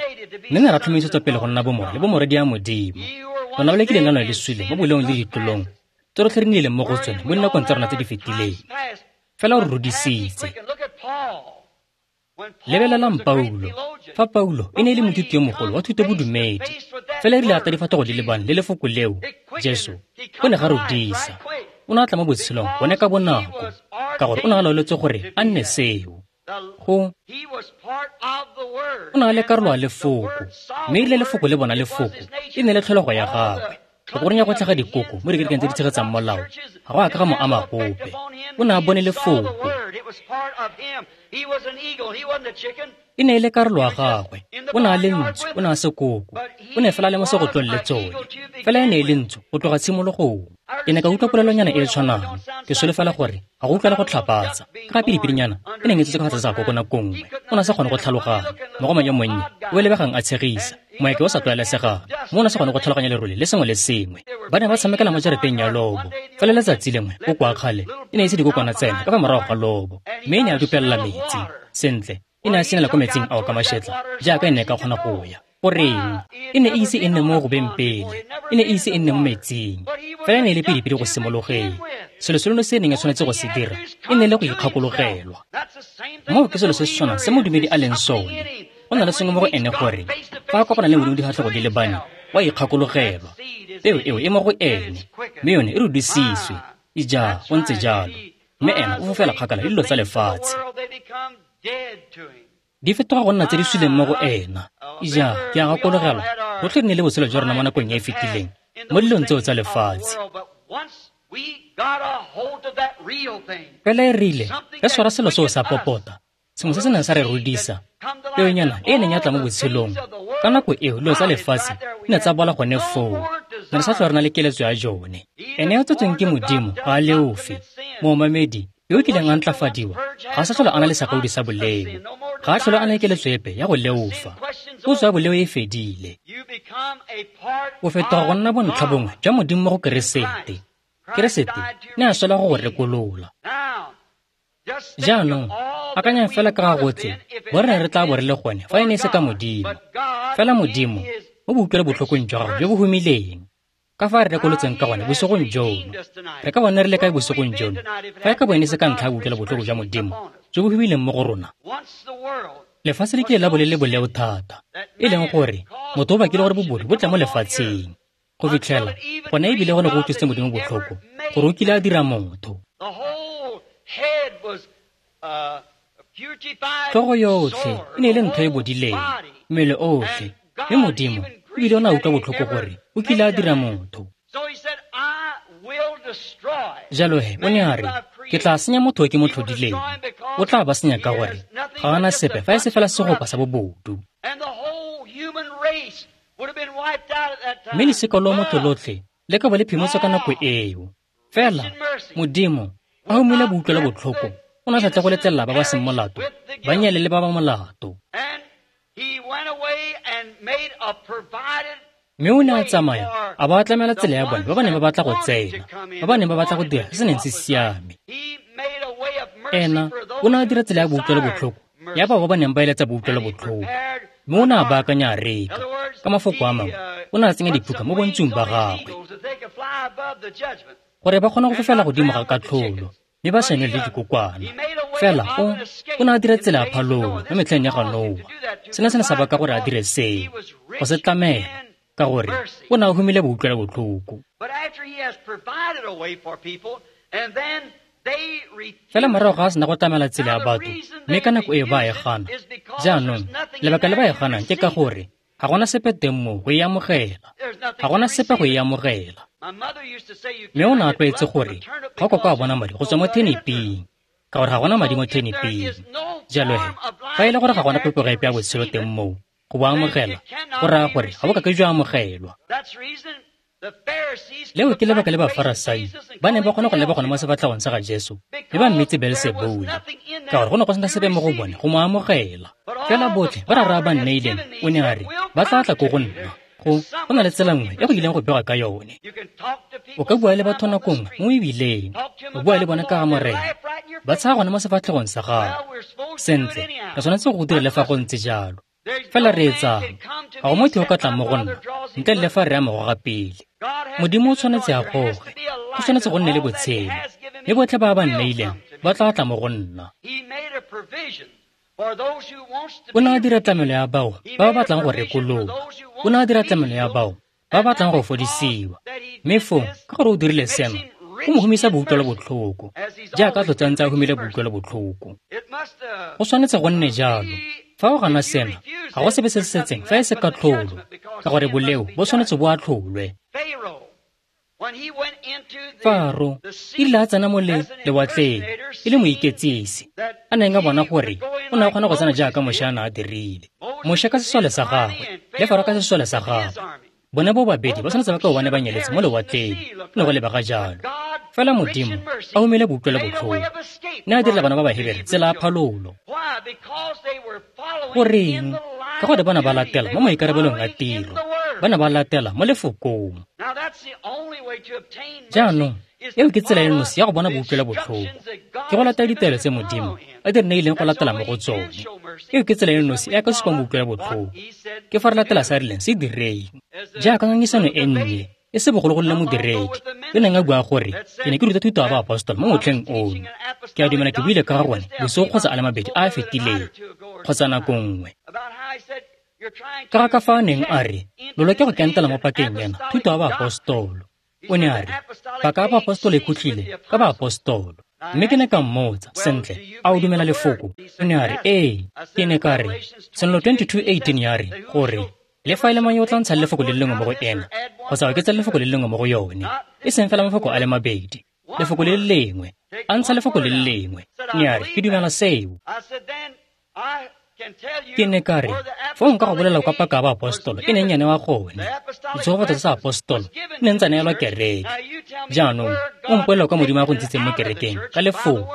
mme ne ra tlhomisetsa pele go nna bomorwa le bomorwadi ya Modimo. Lona ba le kileng la nwa le sule mo boleong le ditlolong tse rotlhe re nnileng mo go tsone mo dinakong tsa rona tse di fetileng. Fela o re rudisitse. Lebelelang Paulo. Fa Paulo e ne e le moithuti yo mogolo wa thuto bodumedi, fela e rile a tla difatlhego di lebane le lefoko leo, Jesu, o ne ga rudisa. O ne a tla mo botshelong gone ka bonako, ka gore o ne a laoletswe gore a nne seo. O ne a le karolo ya lefoko, mme e rile lefoko le bona lefoko, e ne le tlholego ya gagwe. Go koronya go tlhaga dikoko mo dikerekeng tse di tshegetsang molao ga go a ka ga mo ama gope. O ne a bone lefoko. E ne e le karolo ya gagwe. O ne a le ntsu, o ne a se koko. O ne fela a le mo segotlong le tsone. Fela e ne e le ntsu go tloga tshimologong. Ke ne ka utlwa polelonyana e e tshwanang. Ke solofela gore ga go utlwale go tlhapatsa. Ka ga pidipedinyana e neng e tsetse ka fa tlase ga koko nako nngwe. O ne a sa kgone go tlhaloganya. Mogoma yo monnye o e lebegang a tshegisa, moeke o sa tlwaelesegang, mo o ne a sa kgone go tlhaloganya lerole le sengwe le sengwe. Ba ne ba tshamekela mo jarateng ya lobo. Fela letsatsi lengwe koko a kgale e ne e se dikokwana tsena ka fa morago ga lobo, mme e ne a dupelela metsi. Sentle, e ne a senela ko metsing ao ka mašetla jaaka e ne e ka kgona go ya. Goreng? E ne e ise e nne mo go beng pele, e ne e ise e nne mo metsing. Fela e ne e le pidipidi go simologeng. Selo se lone se e neng e tshwanetse go se dira e ne e le go ikgakologelwa. Moo ke selo se se tshwanang se modumedi a leng sone. Go na le sengwe mo go ene gore fa a kopana le Modimo difatlhego di lebane, wa ikgakologelwa. Peo eo e mo go ene, mme yone e rudisitswe. Ija, go ntse jalo. Mme ena o fofela kgakala le dilo tsa lefatshe. Di fetoga go nna tse di suleng mo go ena. Ija, ke a gakologelwa Rotlhe re ne le botshelo jwa rona mo nakong e e fetileng mo dilong tseo tsa lefatshe. Fela e rile re tshwara selo seo sa popota, sengwe se se neng sa re rudisa, peonyana e e neng ya tla mo botshelong. Ka nako eo dilo tsa lefatshe di ne tsa bola gone foo, ne re sa tlhola re na le keletso ya jone. Ene yo tsetsweng ke Modimo ga a leofe. Moomamedi yo o kileng a ntlafadiwa ga a sa tlhola a na le sakaodi sa boleo, ga a tlhola a na le keletso epe ya go leofa. Potso ya boleo e fedile. O fetoga go nna bontlha bongwe jwa Modimo mo go Keresete. Keresete ne a swela go go rekolola. Jaanong, akanyang fela ka ga gotlhe bo re ne re tla bo re le gone fa e ne e se ka Modimo. Fela Modimo, mo boutlwelo botlhokong jwa gagwe jo bo humileng, ka fa re rekolotseng ka gone bosigong jono. Re ka bona re le kae bosigong jono fa e ka bo e ne se ka ntlha ya boutlwelo botlhoko jwa Modimo jo bo humileng mo go rona? Lefatshe le kile la bo le le boleo thata, e leng gore motho o bakile gore bobodu bo tle mo lefatsheng, go fitlhela gone ebile go ne go utlwisitse Modimo botlhoko gore o kile a dira motho. Tlhogo yotlhe e ne e le ntho e bodileng, mmele otlhe, mme Modimo ebile o ne a utlwa botlhoko gore o kile a dira motho. Jalo he o ne a re, ke tla senya motho o ke mo tlhodileng. O tla ba senya ka gore ga a na sepe fa e se fela segopa sa bobodu. Mme losika lwa motho lotlhe le ka bo le phimotswe ka nako eo. Fela Modimo a humile boutlwelo botlhoko, o ne a sa tle go letlelela ba ba seng molato ba nyale le ba ba molato. Mme o ne a tsamaya a ba tlamela tsela ya bone ba ba neng ba batla go tsena, ba ba neng ba batla go dira se se neng se siame. Ena o ne a dira tsela ya boutlwelo botlhoko ya bao ba ba neng ba eletsa boutlwelo botlhoko, mme o ne a baakanya areka. Ka mafoko a mangwe, o ne a tsenya diphuka mo bontsung ba gagwe gore ba kgone go fofela godimo ga katlholo mme ba sa nwe le dikokwana. Fela o ne a dira tsela ya phalolo mo metlheng ya ga Noa. Sena se ne sa baka gore a dire seo, go se tlamela, ka gore o ne a humile boutlwelo botlhoko. Fela morago ga a sena go tlamela tsela ya batho, mme ka nako eo ba e gana. Jaanong, lebaka le ba e ganang ke ka gore ga gona sepe teng moo go e amogela. Ga gona sepe go e amogela. Mme o ne a tlwaetse gore ga o ka a bona madi go tswa mo theniping, ka gore ga gona madi mo theniping. Jalo he, fa e le gore ga gona popego epe ya botshelo teng moo go bo amogela, go raya gore ga bo ka ke jwa amogelwa. Leo ke lebaka le Bafarasai ba neng ba kgona go leba gone mo sefatlhegong sa ga Jesu mme ba mmitse Beelsebule, ka gore go ne go sena sepe mo go bone go mo amogela. Fela botlhe ba rara ba nneileng, o ne a re, ba tla tla ko go nna. Go na le tsela nngwe e go ileng go begwa ka yone. O ka bua le batho nako nngwe mo ebileng, o bua le bone ka ga Morena, ba tshaya gone mo sefatlhegong sa gago. Sentle, re tshwanetse go dira le fa go ntse jalo. Fela re etsang, ga go motho yo ka tlang mo go nna ntle le fa re a mo goga pele. Modimo o tshwanetse a goge, go tshwanetse go nne le botshelo, mme botlhe ba ba nneileng ba tla tla mo go nna. O ne a dira tlamelo ya bao ba ba batlang go rekolola. O ne a dira tlamelo ya bao ba ba batlang go fodisiwa. Mme foo, ka gore o dirile seno, go mo humisa boutlwelo botlhoko, jaaka tlotsa ntse a humile boutlwelo botlhoko. Go tshwanetse go nne jalo. Fa o gana sena, ga go sepe se se setseng fa e se katlholo, ka gore boleo bo tshwanetse bo atlholwe. Faro e rile a tsena mo lewatleng e le moiketsisi, a neng a bona gore o ne a kgona go tsena jaaka Moshe a ne a dirile. Moshe ka sesole sa gagwe le Faro ka sesole sa gagwe, bone bo babedi ba tshwanetse ba ka bone ba nyeletse mo lewatleng, go ne go lebega jalo. Fela Modimo a humile boutlwelo botlhoko, ne a direla bana ba Bahebere tsela ya phalolo. Goreng? Ka gore ba ne ba latela mo maikarabelong a tiro, ba ne ba latela mo lefokong. Jaanong, eo ke tsela e nosi ya go bona boutlwelo botlhoko, ke go latela ditaelo tse Modimo a di re neileng go latela mo go tsone. Eo ke tsela e nosi e a ka supang boutlwelo botlhoko, ke fa re latela se a rileng se direng. Jaaka ngangisano e nnye e se bogologolo le modiredi yo neng a bua gore ke ne ke ruta thuto ya baapostolo mo motlheng ono. Ke a dumela ke buile ka ga gone bosigo kgotsa a le mabedi a a fetileng, kgotsa nako nngwe. Ka ga ka fa a neng a re, lo leke go kentela mo pakeng ena thuto ya baapostolo. O ne a re, paka ya baapostolo e khutlile ka baapostolo. Mme ke ne ka mmotsa, sentle, a o dumela lefoko? O ne a re, ee. Ke ne ka re, Tshenolo 22:18 ya re, gore Le fa e le mang yo o tla ntshang lefoko le le lengwe mo go ena, kgotsa oketsa lefoko le le lengwe mo go yone, e seng fela mafoko a le mabedi, lefoko le le lengwe, a ntsha lefoko le le lengwe. Ne a re, ke dumela seo. Ke ne ka re, foo nka go bolela kwa paka ya baapostolo e neng ya newa gone, ditshegofatso tsa apostolo di neng tsa neelwa kereke. Jaanong o mpolelela kwa Modimo a go ntshitseng mo kerekeng ka lefoko.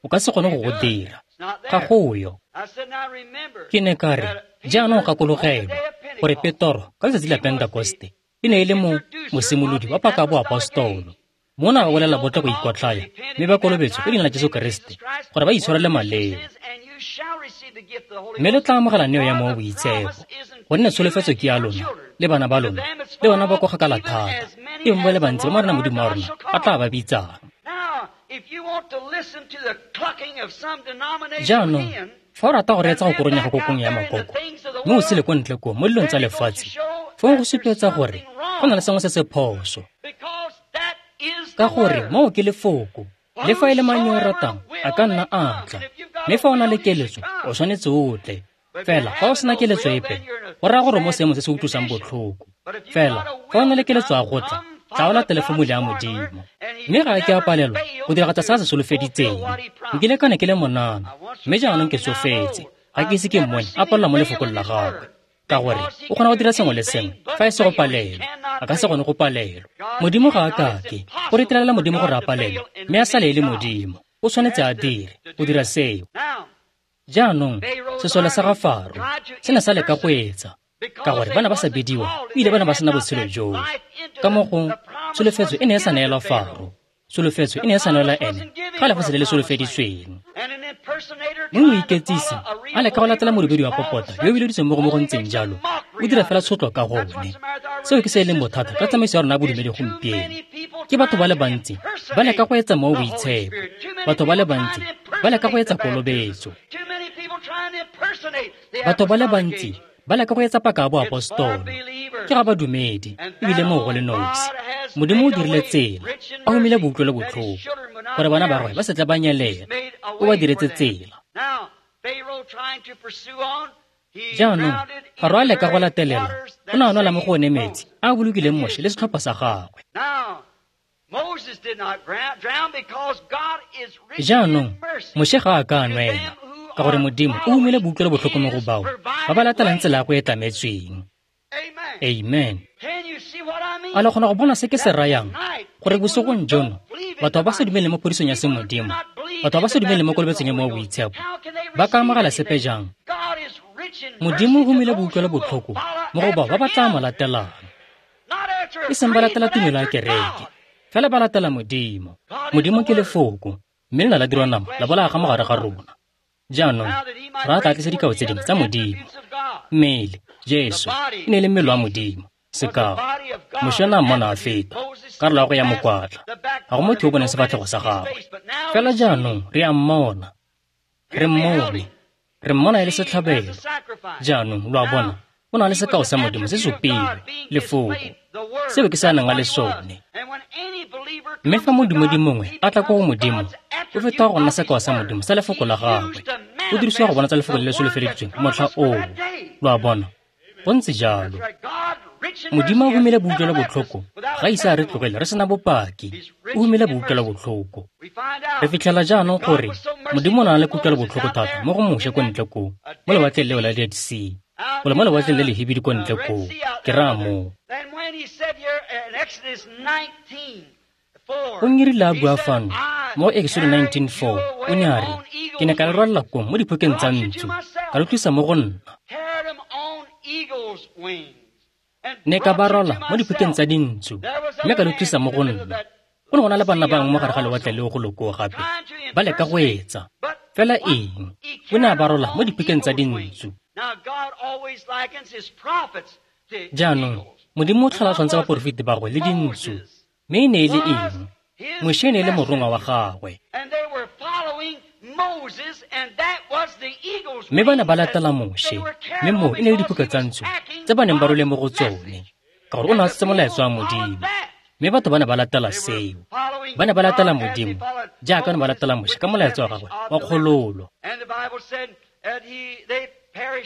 O ka se kgone go go dira. Ga go yo. Ke ne ka re, jaanong gakologelwa gore Petoro ka letsatsi la Pentekoste e ne e le mo mosimolodi wa paka ya boapostolo. Mona ba bolela botlhe go ikotlhaya mme ba kolobetswe ka leina la Jesu Keresete gore ba itshwarele maleo. Mme le tla amogela neo ya Mowa o Boitshepo, gonne tsholofetso ke ya lona le bana ba lona le bona ba kwa kgakala thata, e bong ba le bantsi ba Morena Modimo wa rona a tla ba bitsang. Jaanong, fa o rata go reetsa go koronya go kokong ya makoko, mme o sele ko ntle koo mo dilong tsa lefatshe, fong go supetsa gore go na le sengwe se se phoso. Ka gore moo ke lefoko, le fa e le mang yo o ratang a ka nna a tla, mme fa o na le keletso o tshwanetse o tle. Fela fa o sena keletso epe, go raya gore mo seemo se se utlwisang botlhoko. Fela fa o na le keletso ya go tla, tla o latele fomula ya Modimo. Mme ga ke a palelwa go diragatsa se a se solofeditseng. Nkile ka ne ke le monana, mme jaanong ke tsofetse, ga ke ise ke mmone a palelwa mo lefokong la gagwe. Ka gore o kgona go dira sengwe le sengwe fa e se go palelwa, a ka se kgone go palelwa. Modimo ga a kake go retelela Modimo gore a palelwe, mme a sale e le Modimo. O tshwanetse a dire go dira seo. Jaanong sesole sa ga Faro se ne sa leka go etsa, ka gore ba ne ba sa bidiwa ebile ba ne ba sena botshelo joo. Ka mo go tsholofetso e ne e sa neelwa Faro, tsholofetso e ne e sa neelwa ene ga lefatshe le le solofeditsweng. Mme moiketsisi a leka go latela modumedi wa popota yo o bileditsweng mo go mo go ntseng jalo, o dira fela tshotlo ka gone. Seo ke se e leng bothata ka tsamaiso ya rona ya bodumedi gompieno. Ke batho ba le bantsi ba leka go etsa Mowa o Boitshepo, batho ba le bantsi ba leka go etsa kolobetso, batho ba le bantsi ba leka go etsa paka ya boapostolo. Ke ga badumedi ebile moo go le nosi. Modimo o dirile tsela, a humile boutlwelo botlhoko gore bana ba gagwe ba se tle ba nyelela. O ba diretse tsela. Jaanong Faro a leka go latelela, o ne a nwela mo go one metsi a a bolokileng Moshe le setlhopha sa gagwe. Jaanong Moshe ga a ka a nwela, ka gore Modimo o humile boutlwelo botlhoko mo go bao ba ba latelang tsela ya go e tlametsweng. Amen. A le kgona go bona se ke se rayang? Gore bosigong jono batho ba ba sa dumeleng mo phodisong ya semodimo, batho ba ba sa dumeleng mo kolobetsong ya Mowa o Boitshepo, ba ka amogela sepe jang? Modimo o humile boutlwelo botlhoko mo go bao ba ba tla mo latelang. E seng ba latela tumelo ya kereke, fela ba latela Modimo. Modimo ke lefoko, mme le na la dirwa nama la bolaya ga mogare ga rona. Jaanong ra tla tlisa dikao tse dingwe tsa Modimo. Mmele, Jesu, e ne e le mmele wa Modimo. Sekao, Moshe o ne a mmona a feta, karolo ya go ya mokwatla. Ga go motho yo o boneng sefatlhego sa gagwe. Fela jaanong re a mmona. Re mmone. Re mmona e le setlhabelo. Jaanong lo a bona, o na le sekao sa Modimo se supilwe, lefoko. Seo ke se a nang a le sone. Mme fa modumedi mongwe a tla ko go Modimo, o fetoga go nna sekao sa Modimo sa lefoko la gagwe. O dirisiwa go bonatsa lefoko le le solofeleditsweng motlha oo. Lo a bona, go ntse jalo. Modimo o humile boutlwelo botlhoko, ga ise a re tlogele re sena bopaki. O humile boutlwelo botlhoko. Re fitlhela jaanong gore Modimo o na le kutlwelo botlhoko thata mo go Moshe ko ntle koo, mo lewatleng leo la Dead Sea, gole mo lewatleng le lehibidu ko ntle koo, ke raya moo. O ngirile a bua fano mo Exodo 19:4, o ne a re, ke ne ka le rwalela kong mo diphokeng tsa ntsu, ka lo tlisa mo go nna. Ne ka ba rwala mo diphokeng tsa dintsu, mme ka lo tlisa mo go nna. Go ne go na le banna bangwe mo gare ga lewatle leo go lokoo gape, ba leka go etsa. Fela eng? O ne a ba rwala mo diphokeng tsa dintsu. Jaanong, Modimo o tlhola a tshwantsha baporofeti ba gagwe le dintsu. Mme e ne e le eng? Moshe e ne e le morongwa wa gagwe. Mme ba ne ba latela Moshe, mme moo e ne e le diphuka tsa ntsu tse ba neng ba rwele mo go tsone, ka gore o ne a tshotse molaetsa wa Modimo. Mme batho ba ne ba latela seo. Ba ne ba latela Modimo jaaka ba ne ba latela Moshe ka molaetsa wa gagwe wa kgololo.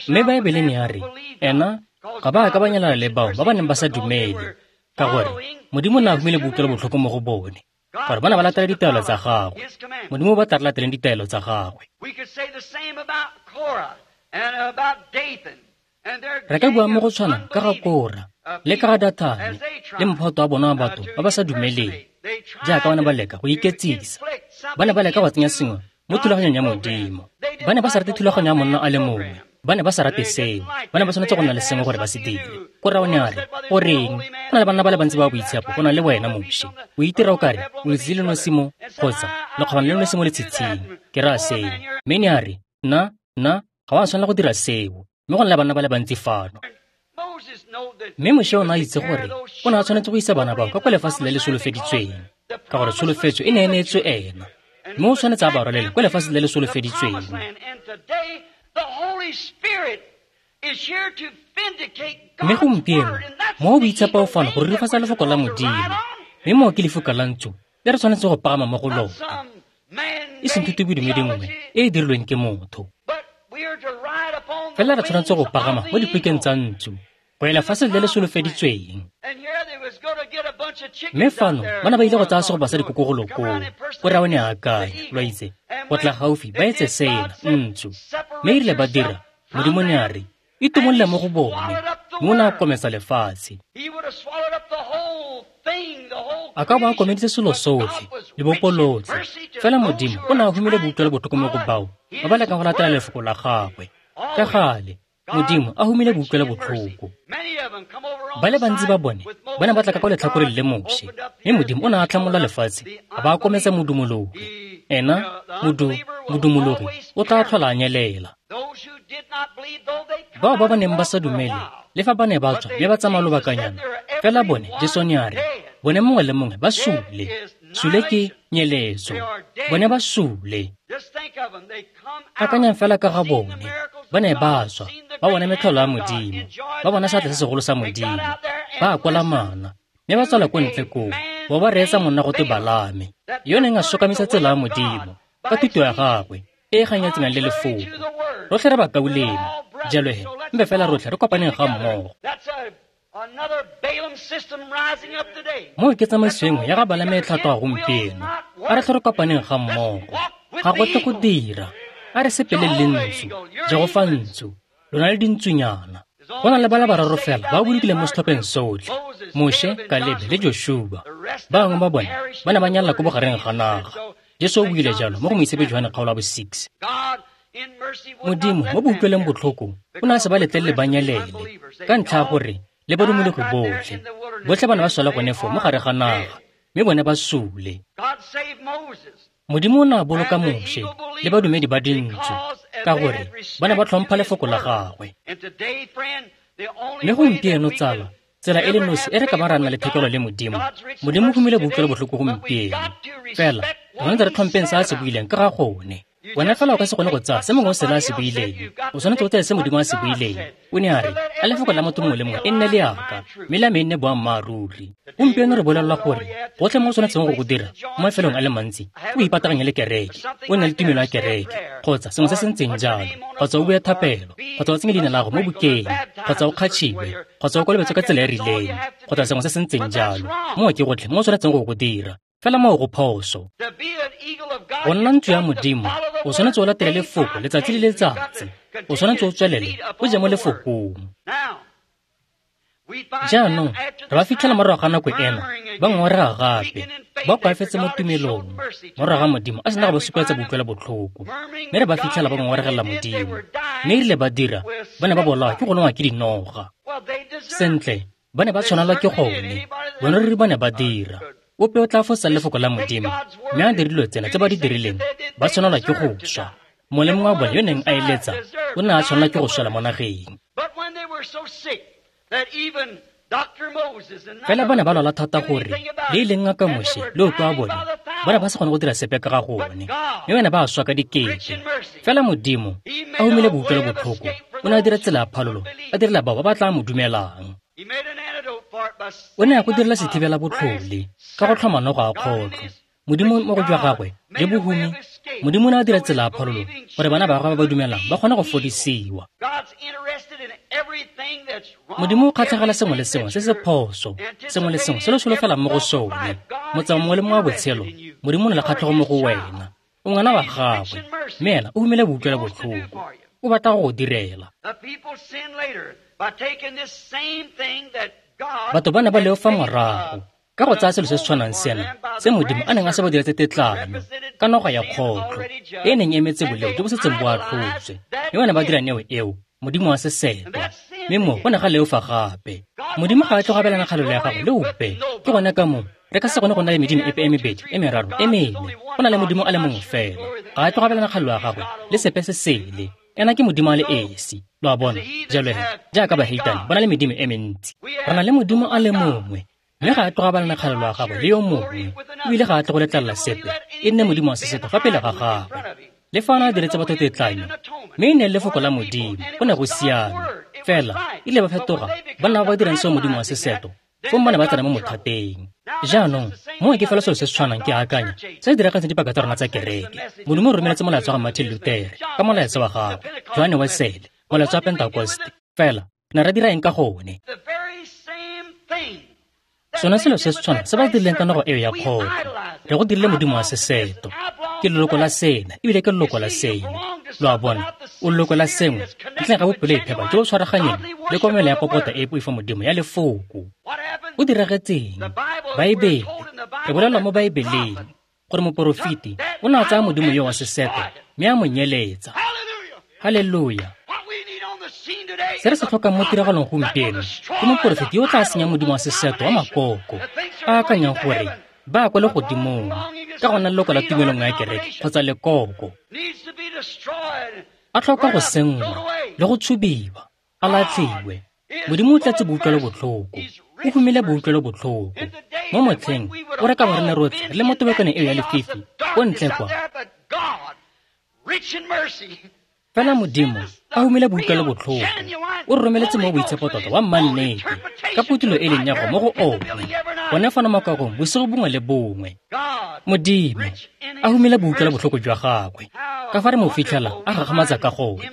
Mme Baebele ne ya re, ena ga ba ka ba nyalana le bao ba ba neng ba sa dumele, ka gore Modimo o ne a humile boutlwelo botlhoko mo go bone, gore ba ne ba latela ditaelo tsa gagwe. Modimo ba tla re lateleng ditaelo tsa gagwe. Re ka bua mo go tshwana ka ga Kora le ka ga Dathane le mophato wa bona wa batho ba ba sa dumeleng, jaaka ba ne ba leka go iketsisa. Ba ne ba leka go tsenya sengwe mo thulaganyong ya Modimo. Ba ne ba sa rate thulaganyo ya monna a le mongwe. Ba ne ba sa rate seo. Ba ne ba tshwanetse go nna le sengwe gore ba se dire. Kora o ne a re, goreng, go na le banna ba le bantsi ba boitshepo go na le wena, Moshe. O itira o kare o letsatsi le nosi mo, kgotsa lekgobana le nosi mo letshitshing. Ke raya seo. Mme ne a re, nna, ga wa tshwanela go dira seo. Mme go na le banna ba le bantsi fano. Mme Moshe o ne a itse gore o ne a tshwanetse go isa bana bao ka kwa lefatshe le le solofeditsweng, ka gore tsholofetso e ne e neetswe ena. Mme o tshwanetse a ba rwalele kwa lefatshe le le solofeditsweng. Mme gompieno mo o boitshepo o fano go rurifatsa lefoko la Modimo, mme moo ke lefuka la ntsu le re tshwanetse go pagama mo go lona, e seng thutobodumedi nngwe e e dirilweng ke motho. Fela re tshwanetse go pagama mo dipukeng tsa ntsu go ya lefatshe le le solofeditsweng. Mme fano ba ne ba ile go tsaya segopa sa dikoko golo koo, Kora o ne a akanya, lo itse, go tla gaufi ba etse sena, ntsu. Mme e rile ba dira, Modimo ne a re, itumolole mo go bone, mme o ne a kometsa lefatshe. A ka bo a komeditse selo sotlhe, lebopo lotlhe. Fela Modimo o ne a humile boutlwelo botlhoko mo go bao ba ba lekang go latela lefoko la gagwe. Ka gale, Modimo a humile boutlwelo botlhoko. Ba le bantsi ba bone ba ne ba tla ka kwa letlhakoreng le Moshe, mme Modimo o ne a tlhamola lefatshe a ba a kometsa modumologi. Ena, modumologi o tla tlhola a nyelela. Bao ba ba neng ba sa dumele, le fa ba ne ba tswa mme ba tsamaya lobakanyana, fela bone, Jesu ne a re, bone mongwe le mongwe ba sule. Sule ke nyeletso. Bone ba sule. Akanyang fela ka ga bone. Ba ne ba tswa, ba bona metlholo ya Modimo, ba bona seatla se segolo sa Modimo, ba kwala mana, mme ba tswela ko ntle koo, ba ba reetsa monna go twe Balame, yo neng a sokamisa tsela ya Modimo ka thuto ya gagwe e e ganyetsanang le lefoko. Rotlhe re bakaulengwe, jalo he, mpe fela rotlhe re kopaneng ga mmogo. Moo ke tsamaiso engwe ya ga Balame e tlhatloga gompieno. A re tlhe re kopaneng ga mmogo. Ga go tle go dira. A re sepeleng le ntsu, Jehofa ntsu, lona le dintsunyana. Go na le ba le bararo fela ba bolokileng mo setlhopheng sotlhe, Moshe, Kalebe le Joshua. Ba bangwe ba bone ba ne ba nyalela ko bogareng ga naga. Jesu o buile jalo mo go Moitshepi Johane kgaolo ya bo 6. Modimo mo boutlweleng botlhoko o ne a se ba letlelele ba nyelele, ka ntlha ya gore le badumologi botlhe. Botlhe ba ne ba swela gone foo mo gare ga naga, mme bone ba sule. Modimo o ne a boloka Moshe le badumedi ba dintsu, ka gore ba ne ba tlhompha lefoko la gagwe. Mme gompieno tsala, tsela e le nosi e re ka ba ra nna le thekelo le Modimo, Modimo o humile boutlwelo botlhoko gompieno. Fela re tshwanetse re tlhompeng se a se buileng ka ga gone. Wena fela o ka se kgone go tsaya se mongwe o sele a se buileng. O tshwanetse o tseye se Modimo a se buileng. O ne a re, a lefoko la motho mongwe le mongwe e nne leaka, mme la me e nne boammaaruri. Gompieno re bolelelwa gore gotlhe mo o tshwanetseng go go dira mo mafelong a le mantsi o ipataganye le kereke, o nne le tumelo ya kereke, kgotsa sengwe se se ntseng jalo, kgotsa o bue thapelo, kgotsa o tsenye leina la gago mo bukeng, kgotsa o kgatšhiwe, kgotsa o kolobetswe ka tsela e rileng, kgotsa sengwe se se ntseng jalo. Moo ke gotlhe mo o tshwanetseng go go dira. Fela moo go phoso. Go nna ntsu ya Modimo, o tshwanetse o latele lefoko letsatsi le letsatsi. O tshwanetse o tswelele o je mo lefokong. Jaanong re ba fitlhela morago ga nako ena ba ngongorega gape, ba koafetse mo tumelong, morago ga Modimo a sena go ba supetsa boutlwelo botlhoko. Mme re ba fitlhela ba ngongoregela Modimo. Mme erile ba dira, ba ne ba bolawa ke go longwa ke dinoga. Sentle, ba ne ba tshwanelwa ke gone. Bone ruri ba ne ba dira. Ope o tla fosa lefoko la Modimo, mme a dire dilo tsena tse ba di dirileng, ba tshwanelwa ke go swa. Mongwe le mongwe wa bone yo neng a eletsa o ne a tshwanelwa ke go swela mo nageng. Fela ba ne ba lwala thata gore le e leng ngaka Moshe le ope wa bone ba ne ba sa kgone go dira sepe ka ga gone, mme ba ne ba swa ka dikete. Fela Modimo a humile boutlwelo botlhoko, o ne a dira tsela ya phalolo, a direla bao ba ba tla mo dumelang. O ne a go direla sethibela botlhole ka go tlhoma noga a kgotlho. Modimo mo go jwa gagwe le bohumi, Modimo o ne a dira tsela ya phololo gore bana ba gagwe ba ba dumelang ba kgone go fodisiwa. Modimo o kgatlhegela sengwe le sengwe se se phoso, sengwe le sengwe se lo solofelang mo go sone. Motsamao mongwe le mongwe wa botshelo, Modimo o na le kgatlhego mo go wena. O ngwana wa gagwe, mme ena o humile boutlwelo botlhoko. O batla go go direla. Batho ba ne ba leofa morago ka go tsaya selo se se tshwanang sena se Modimo a neng a se ba diretse tetlanyo ka noga ya kgotlho e e neng e emetse boleo jo bo setseng bo atlhotswe, mme ba ne ba dira neo eo Modimo wa sesetwa, mme mo go ne ga leofa gape. Modimo ga a tle go abelana kgalelo ya gagwe le ope. Ke gone ka moo re ka se kgone go nna le medimo epe e mebedi, e meraro, e mene. Go na le Modimo a le mongwe fela. Ga a tle go abelana kgalelo ya gagwe le sepe se sele. Ena ke Modimo a le esi. Lo a bona? Jalo he, jaaka baheitane ba na le medimo e mentsi, re na le Modimo a le mongwe, mme ga a tle go abelana kgalelo ya gagwe le yo mongwe, ebile ga a tle go letlelela sepe e nne modimo wa seseto fa pele ga gagwe. Le fa a ne a diretse batho tetlanyo, mme e ne e le lefoko la Modimo, go ne go siame. Fela ile ba fetoga ba nna ba ba dirang seo modimo wa seseto, fong ba ne ba tsena mo mothateng. Jaanong moo ke fela selo se se tshwanang ke akanya se se diragetseng dipaka tsa rona tsa kereke. Modimo o romeletse molaetsa wa ga Martin Luther ka molaetsa wa gagwe, Johane Wesele, molaetsa wa Pentekoste. Fela ne ra dira eng ka gone? Sone selo se se tshwanang se ba dirileng ka nogo eo ya kgotlho, re go dirile modimo wa seseto. Ke leloko la sena ebile ke leloko la sele. Lo a bona, o leloko la sengwe ntleng ga bophelo e phepa jo bo tshwaraganyeng le komelo ya popota e poifo Modimo ya lefoko. O diragetseng? Baebele, re bolelwa mo Baebeleng gore moporofeti o ne a tsaya modimo yo wa seseto mme a mo nyeletsa. Haleluya! Se re se tlhokang mo tiragalong gompieno ke moporofeti yo o tla senyang modimo wa seseto wa makoko, a akanyang gore ba kwa legodimong ka gona leloko la tumelo nngwe ya kereke kgotsa lekoko. A tlhoka go senngwa le go tshubiwa, a latlhiwe. Modimo o tletse boutlwelo botlhoko, o humile boutlwelo botlhoko. Mo motlheng o re ka bo re ne rotlhe re le mo tobekaneng eo ya lefifi ko ntle kwa, fela Modimo a humile boutlwelo botlhoko, o re romeletse mo boitshepo tota wa mmannete ka phutulo e leng ya go mo go one gone fano makakong bosigo bongwe le bongwe. Modimo a humile boutlwelo botlhoko jwa gagwe ka fa re mo fitlhela a gagamatsa ka gone.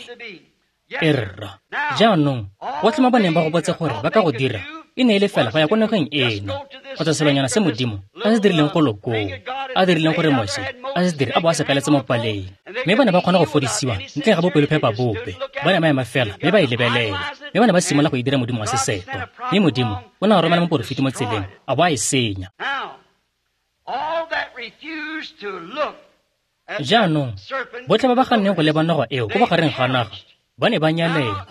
Erra, jaanong botlhe mo ba neng ba gopotse gore ba ka go dira e ne e le fela go ya ko nageng eno kgotsa selonyana se Modimo a se dirileng go lokong, a dirileng gore Moshe a se dire a bo a se kaletse mo paleng, mme ba ne ba kgona go fodisiwa ntle ga bopelophepa bope. Ba ne ba ema fela mme ba e lebelela, mme ba ne ba simolola go e dira modimo wa seseto, mme Modimo o ne a romela moporofeti mo tseleng a bo a e senya. Jaanong botlhe ba ba ganneng go leba noga eo ko bogareng ga naga ba ne ba nyalela.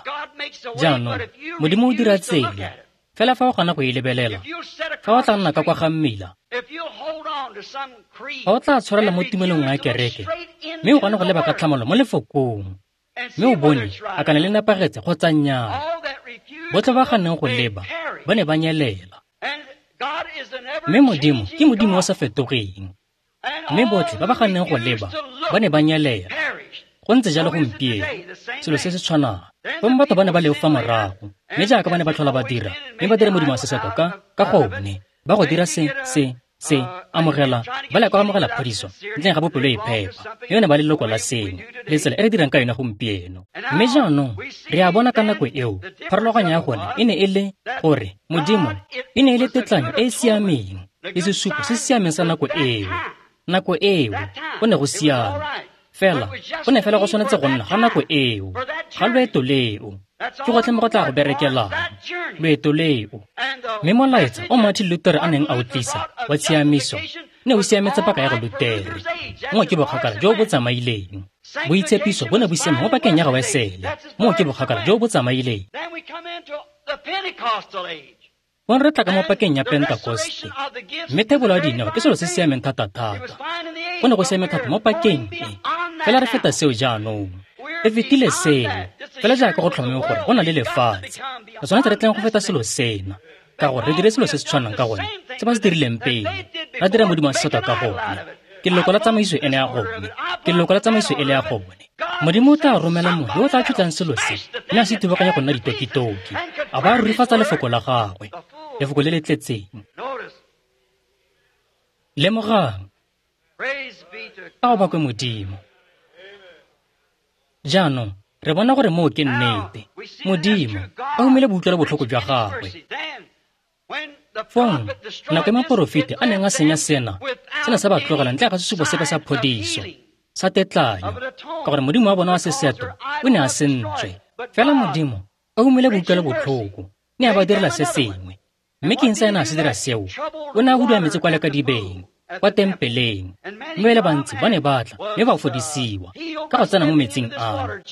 Jaanong Modimo o dira tsela, fela fa o gana go e lebelela, fa o tla nna ka kwa ga mmila, fa o tla tshwarela mo tumelong ya kereke mme o gana go leba ka tlhamalo mo lefokong, mme o bone a kana le nepagetse kgotsa nnyaa. Botlhe ba ganneng go leba ba ne ba nyelela. Mme Modimo ke Modimo o sa fetogeng, mme botlhe ba ba ganneng go leba ba ne ba nyelela. Go ntse jalo gompieno, selo se se tshwanang. Fong batho ba ne ba leofa morago, mme jaaka ba ne ba tlhola ba dira, mme ba dira modimo wa seseto ka gone, ba go dira se se se amogela, ba leka go amogela phodiso ntleng ga bopelo e phepa, mme ba ne ba le leloko la sengwe, le tsela e re dirang ka yone gompieno. Mme jaanong re a bona ka nako eo pharologanyo ya gone e ne e le gore Modimo e ne e le tetlanyo e e siameng le sesupo se se siameng sa nako eo. Nako eo go ne go siame, fela go ne fela go tshwanetse go nna ga nako eo, ga loeto leo. Ke gotlhe mo go tla go berekelang, loeto leo. Mme molaetsa o Martin Luther a neng a o tlisa wa tshiamiso ne o siametse paka ya go Lutere. Moo ke bokgakala jo bo tsamaileng. Boitshepiso bo ne bo siame mo pakeng ya ga Wesele. Moo ke bokgakala jo bo tsamaileng. Fong re tla ka mo pakeng ya Pentekoste, mme thebolo ya dineo ke selo se siameng thata-thata. Go ne go siame thata mo pakeng e, fela re feta seo jaanong. Re fetile seo, fela jaaka go tlhomame gore go na le lefatshe. Re tshwanetse re tleng go feta selo sena, ka gore re dire selo se se tshwanang ka gone se ba se dirileng pele, ra dira modimo wa sesetwa ka gone. Ke leloko la tsamaiso ene ya gone, ke leloko la tsamaiso ele ya gone. Modimo o tla romela mongwe yo o tla tshutlang selo se mme a se thubaganya go nna ditokitoki, a ba a rurifatsa lefoko la gagwe, lefoko le le tletseng. Lemogang, a o bakwe Modimo. Jaanong re bona gore moo ke nnete. Modimo a humile boutlwelo botlhoko jwa gagwe. Fong nako e moporofeti a neng a senya sena, sena sa ba tlogela ntle ga sesupo sepe sa phodiso, sa tetlanyo, ka gore modimo wa bona wa seseto o ne a sentswe. Fela Modimo a humile boutlwelo botlhoko, ne a ba direla se sengwe. Mme ke eng sa ena a se dira seo? O ne a hudua metsi kwa lekadibeng, kwa tempeleng, mme ba le bantsi ba ne ba tla mme ba fodisiwa ka go tsena mo metsing ano.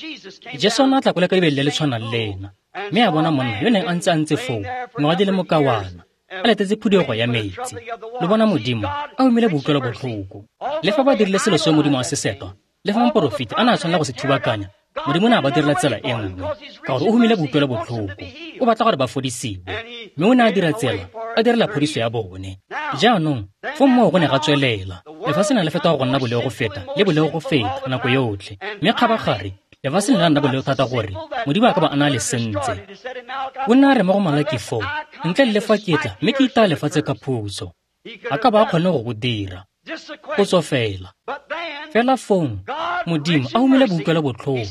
Jesu o ne a tla kwa lekadibeng le le tshwanang le ena, mme a bona monna yo neng a ntse foo ngwaga di le mokawana, a letetse phuduego ya metsi. Le bona Modimo a humile boutlwelo botlhoko. Le fa ba dirile selo seo Modimo a se setwa, le fa moporofeti a ne a tshwanela go se thubakanya, Modimo ne a ba direla tsela e nngwe, ka gore o humile boutlwelo botlhoko. O batla gore ba fodisiwe, mme o ne a dira tsela, a direla phodiso ya bone. Jaanong fo moo go ne ga tswelela, lefatshe ne le fetoga go nna boleo go feta le boleo go feta nako yotlhe, mme kgabagare lefatshe ne la nna boleo thata gore Modimo a ka ba a na le sentse. O ne a re mo go Malaki foo, ntle le fa ke tla mme ke itaya lefatshe ka phuso, a ka ba a kgone go go dira. Potso fela. Fela fong Modimo a humile boutlwelo botlhoko,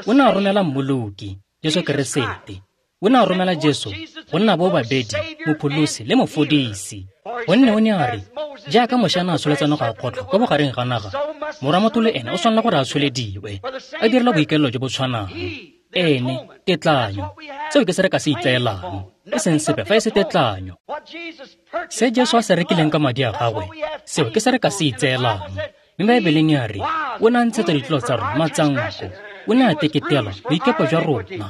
o ne a romela Mmoloki, Jesu Keresete. O ne a romela Jesu go nna bo babedi, mopholosi le mofodisi. Gonne o ne a re, jaaka Moše a ne a tsholetsa noga ya kgotlho kwa bogareng ga naga, morwa motho le ene o tshwanela gore a tsholediwe, a direla boikaelelo jo bo tshwanang. Ene, tetlanyo. Seo ke se re ka se itseelang, e seng sepe fa e se tetlanyo. Se Jesu a se rekileng ka madi a gagwe, seo ke se re ka se itseelang. Mme Baebeleng ya re, o ne a ntshetsa ditlolo tsa rona matsanko, o ne a teketela boikepo jwa rona.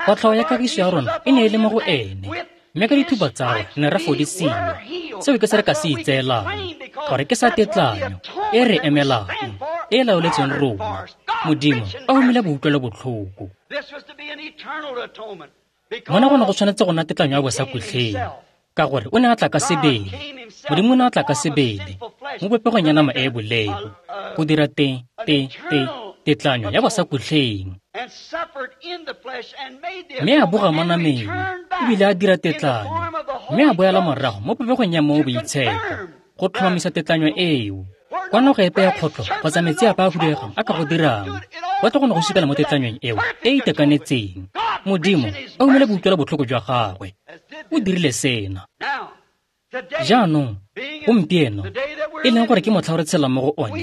Kotlhao ya kagiso ya rona e ne e le mo go ene, mme ka dithupa tsa gagwe ne ra fodisiwa. Seo ke se re ka se itseelang, gore ke sa tetlanyo e re emelang, e laoletseng rona. Modimo a humile boutlwelo botlhoko. Mona go ne go tshwanetse go nna tetlanyo ya bosakhutleng, ka gore o ne a tla ka sebele. Modimo o ne a tla ka sebele mo popegong ya nama e e boleo, go dira te te te tetlanyo ya bosakhutleng. Mme a boga mo nameng, ebile a dira tetlanyo, mme a boela morago mo popegong ya Mowa o Boitshepo go tlhomamisa tetlanyo eo. Kwa noga epe ya kgotlho kgotsa metsi a a huduegang a ka go dirang, go tla go ne go supela mo tetlanyong eo e e itekanetseng. Modimo a humile boutlwelo botlhoko jwa gagwe, o dirile sena. Jaanong gompieno, e leng gore ke motlha o re tshelang mo go one,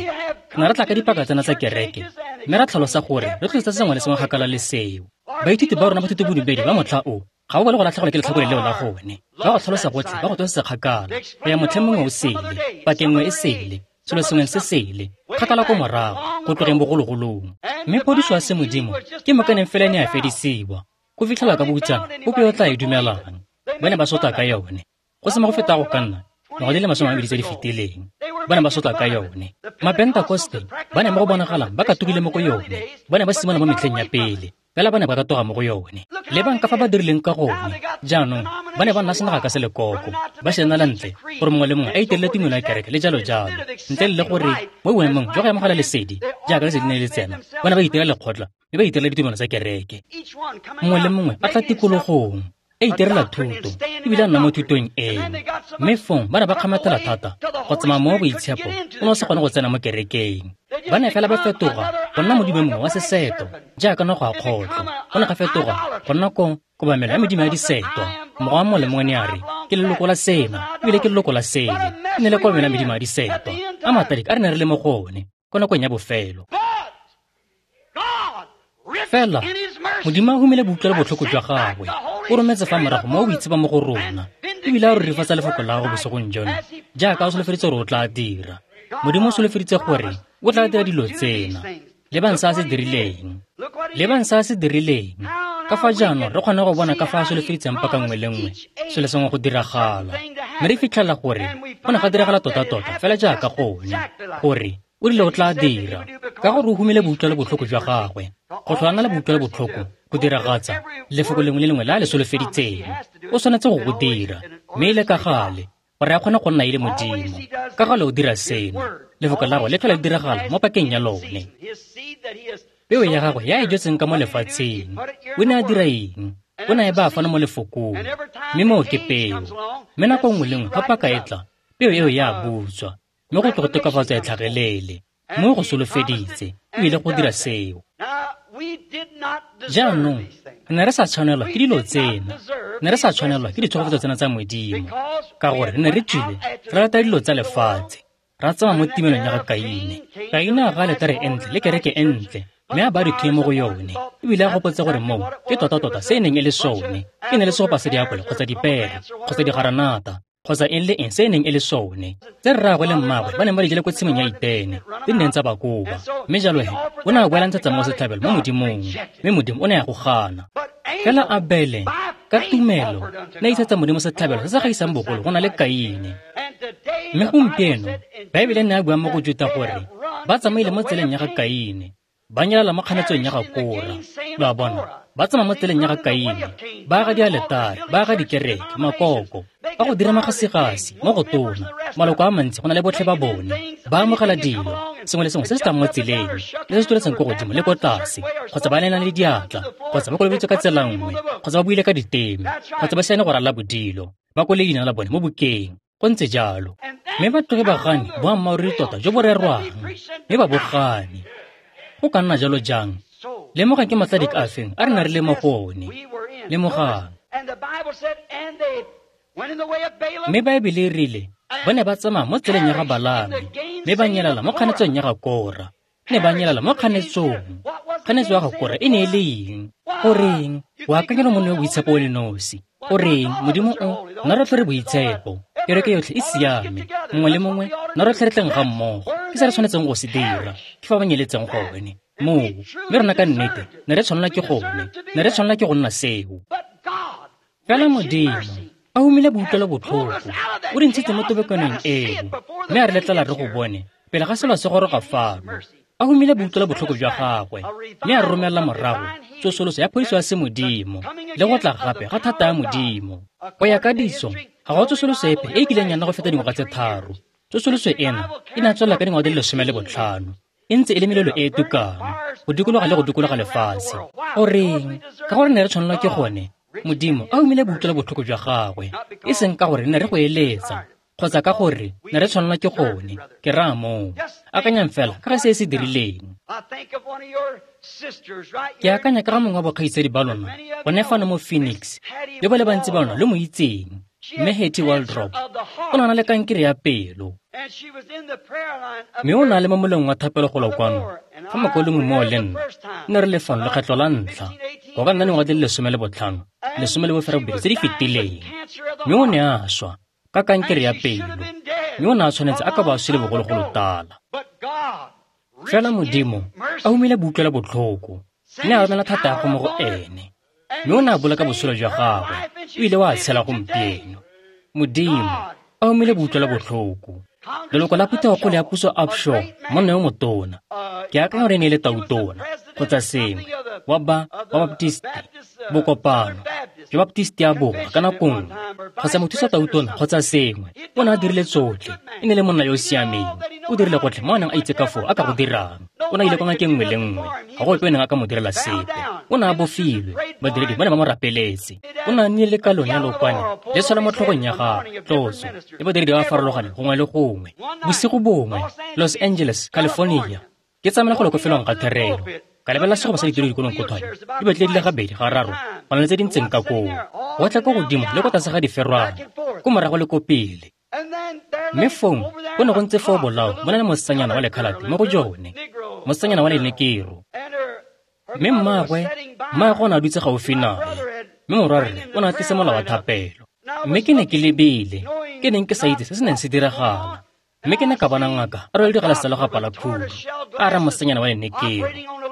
ne re tla ka dipaka tsena tsa kereke, mme ra tlhalosa gore re tlosetsa sengwe le sengwe kgakala le seo. Baithuti ba rona ba thutobodumedi ba motlha o ga ba bone go latlhegelwa ke letlhakore leo la gone. Ba go tlhalosa gotlhe, ba go tlosetsa kgakala go ya motlheng mongwe o sele, pakeng nngwe e sele, selo sengwe se sele, kgakala ko morago, go tlogeng bogologolong. Mme phodiso ya semodimo ke mokaneng fela e ne ya fedisiwa, go fitlhela ka boutsana ope yo o tla e dumelang. Ba ne ba sotla ka yone, go se mo go feta go ka nna ngwaga di le 20 tse di fetileng. Ba ne ba sotla ka yone. Mapentakoste ba ne mo go bonagalang ba katogile mo go yone, ba ne ba simolola mo metlheng ya pele, fela ba ne ba katoga mo go yone. Lebang ka fa ba dirileng ka gone. Jaanong ba ne ba nna senaga ka selekoko, ba se nela ntle gore mongwe le mongwe a itelele tumelo ya kereke le jalo jalo, ntle le gore mo boemong jwa go amogela lesedi jaaka lesedi ne le tsena, ba ne ba itirela lekgotla mme ba itirela ditumelo tsa kereke. Mongwe le mongwe a tla tikologong, a itirela thuto, ebile a nna mo thutong eo. Mme fong ba ne ba kgamathela thata go tsamaya mo boitshepo o ne o sa kgone go tsena mo kerekeng. Ba ne fela ba fetoga go nna modimo mongwe wa seseto, jaaka noga ya kgotlho. Go ne ga fetoga go nna ko kobamelo ya medimo ya disetwa. Morwa mongwe le mongwe ne a re, ke leloko la sena, ebile ke leloko la sele. E ne le kobamelo ya medimo ya disetwa. A mataliki a re ne re le mo go one ko nakong ya bofelo. Fela Modimo a humile boutlwelo botlhoko jwa gagwe, o rometse fa morago mo o boitshepa mo go rona, ebile a rurifatsa lefoko la gagwe bosigong jono, jaaka o solofeditse gore o tla dira. Modimo o solofeditse gore o tla dira dilo tsena. Lebang se a se dirileng. Lebang se a se dirileng. Ka fa jaanong re kgone go bona ka fa a solofeditseng paka nngwe le nngwe selo sengwe go diragala. Mme re fitlhela gore go ne ga diragala tota-tota fela jaaka gone, gore o rile o tla dira, ka gore o humile boutlwelo botlhoko jwa gagwe, go tlhola le boutlwelo botlhoko go diragatsa lefoko lengwe le lengwe le a le solofeditseng. O tshwanetse go go dira, mme e le ka gale, gore a kgone go nna e le Modimo. Ka gale o dira seno, lefoko la gagwe le tlhola le diragala mo pakeng ya lone. Peo ya gagwe ya e jetseng ka mo lefatsheng, o ne a dira eng? O ne a e baya fano mo lefokong, mme moo ke peo. Mme nako nngwe le nngwe fa paka e tla, peo eo ya butswa, mme go tle go tokafatsa e tlhagelele. Mme go solofeditse, o ile go dira seo. Jaanong re ne re sa tshwanelwa ke dilo tsena, ne re sa tshwanelwa ke ditsholofetso tsena tsa Modimo, ka gore re ne re tswile re rata dilo tsa lefatshe, ra tsamaya mo timelong ya ga Kaine. Kaine a ga aletare e ntle le kereke e ntle, mme a ba dithuye mo go yone, ebile a gopotse gore moo ke tota-tota se e neng e le sone. E ne le segopa sa diapole kgotsa dipere kgotsa digaranata kgotsa eng le eng se e neng e le sone, tse rraagwe le mmaagwe ba neng ba di jele ko tshimong ya Etene, tse di neng tsa ba koba. Mme jalo he o ne a boela ntshetsa mo setlhabelo mo Modimong, mme Modimo o ne a go gana. Fela Abele ka tumelo ne a isetsa Modimo setlhabelo se se gaisang bogolo go na le Kaine. Mme gompieno Baebele ne a bua mo go Juta gore ba tsamaile mo tseleng ya ga Kaine, ba nyelela mo kganetsong ya ga Kora. Lo a bona, ba tsamaya mo tseleng ya ga Kaine, ba aga dialetare, ba aga dikereke, makoko, ba go dira magasigasi mo go tona, maloko a mantsi go na le botlhe ba bone, ba amogela dilo, sengwe le sengwe se se tlang mo tseleng, le se se tsweletseng ko godimo le ko tlase, kgotsa ba neelana le diatla, kgotsa ba kolobeditswe ka tsela nngwe, kgotsa ba buile ka diteme, kgotsa ba siane go ralala bodilo, ba kwale leina la bone mo bukeng. Go ntse jalo. Mme ba tloge ba gane boammaaruri tota jo bo rerwang, mme ba bo gane. Go ka nna jalo jang? Lemogang ke matladika a feng a re na re le mo go one. Lemogang. Mme Baebele e rile ba ne ba tsamaya mo tseleng ya ga Balaame, mme ba nyelela mo kganetsong ya ga Kora. Ne ba nyelela mo kganetsong. Kganetso ya ga Kora e ne e le eng? Goreng o akanya le monna yo boitshepo o le nosi? Goreng Modimo o nna rotlhe re boitshepo, kereke yotlhe e siame, mongwe le mongwe nna rotlhe re tleng ga mmogo. Ke se re tshwanetseng go se dira, ke fa ba nyeletseng gone moo. Mme rona ka nnete ne re tshwanela ke gone, ne re tshwanela ke go nna seo. Fela Modimo a humile boutlwelo botlhoko, o re ntshitse mo tobekanong eo, mme a re letlela re go bone pele ga selo se goroga fano. A humile boutlwelo botlhoko jwa gagwe, mme a romela morago tsosoloso ya phodiso ya semodimo le go tla gape ga thata ya Modimo. Go ya ka ditso, ga go tsosoloso epe e e kileng ya nna go feta dingwaga tse 3. Tsosoloso ena e ne ya tswelela ka dingwaga di le 15, e ntse e le melelo e e tukang go dikologa le go dikologa lefatshe. Goreng? Ka gore ne re tshwanelwa ke gone. Modimo a humile boutlwelo botlhoko jwa gagwe, e seng ka gore ne re go eletsa kgotsa ka gore ne re tshwanelwa ke gone. Ke raya moo. Akanyang fela ka ga se e se dirileng. Ke akanya ka ga mongwe wa bokgaitsadi ba lona gone fano mo Phoenix, le ba le bantsi ba lona lo mo itseng, mme Hattie Waldrop. O ne a na le kankere ya pelo, mme o ne a le mo moleng wa thapelo golo kwano fa mokaulengwe moo le nna ne re le fano lekgetlo la ntlha, go ka nna dingwaga di le 15, 18 tse di fetileng. Mme o ne a swa ka kankere ya pelo, mme o ne a tshwanetse a ka ba a swele bogologolo tala. Fela Modimo a humile boutlwelo botlhoko, mme a romela thata ya go mo go ene, mme o ne a boloka botshelo jwa gagwe, o ile wa tshela gompieno. Modimo a humile boutlwelo botlhoko. Leloko la phuthegokgolo ya puso Upshaw, monna yo motona, ke akanya gore e ne e le tautona kgotsa sengwe wa ba wa Baptist, bokopano jwa Baptist ya Borwa ka nako nngwe, kgotsa mothusa tautona kgotsa sengwe. O ne a dirile tsotlhe, e ne le monna yo o siameng, o dirile gotlhe mo a neng a itse ka foo a ka go dirang. O ne a ile kwa ngakeng nngwe le nngwe, ga go ope o neng a ka mo direla sepe. O ne a bofilwe, badiredi ba ne ba mo rapeletse. O ne a nnile le kalong ya lookwane le tshwela mo tlhogong ya gagwe, tlotso, le badiredi ba ba farologaneng gongwe le gongwe. Bosigo bongwe, Los Angeles, California, ke tsamaela go le ko felong ga therelo, ka lebelela segopa sa ditiro dikolong kothwane, di batlile di le gabedi, gararo, go na le tse di ntseng ka koo, go tla ko godimo le ko tlase ga diferwana, ko morago le ko pele. Mme fong go ne go ntse foo bolao bo na le mosetsanyana wa lekhalate mo go jone, mosetsanyana wa lenekero. Mme mmaagwe o ne a dutse gaufi nae, mme morwarre o ne a tlisa molao wa thapelo. Mme ke ne ke lebile, ke neng ke sa itse se se neng se diragala. Mme ke ne ka bona ngaka a rwele digalase tsa legwapa la khudu, a ara mosetsanyana wa lenekero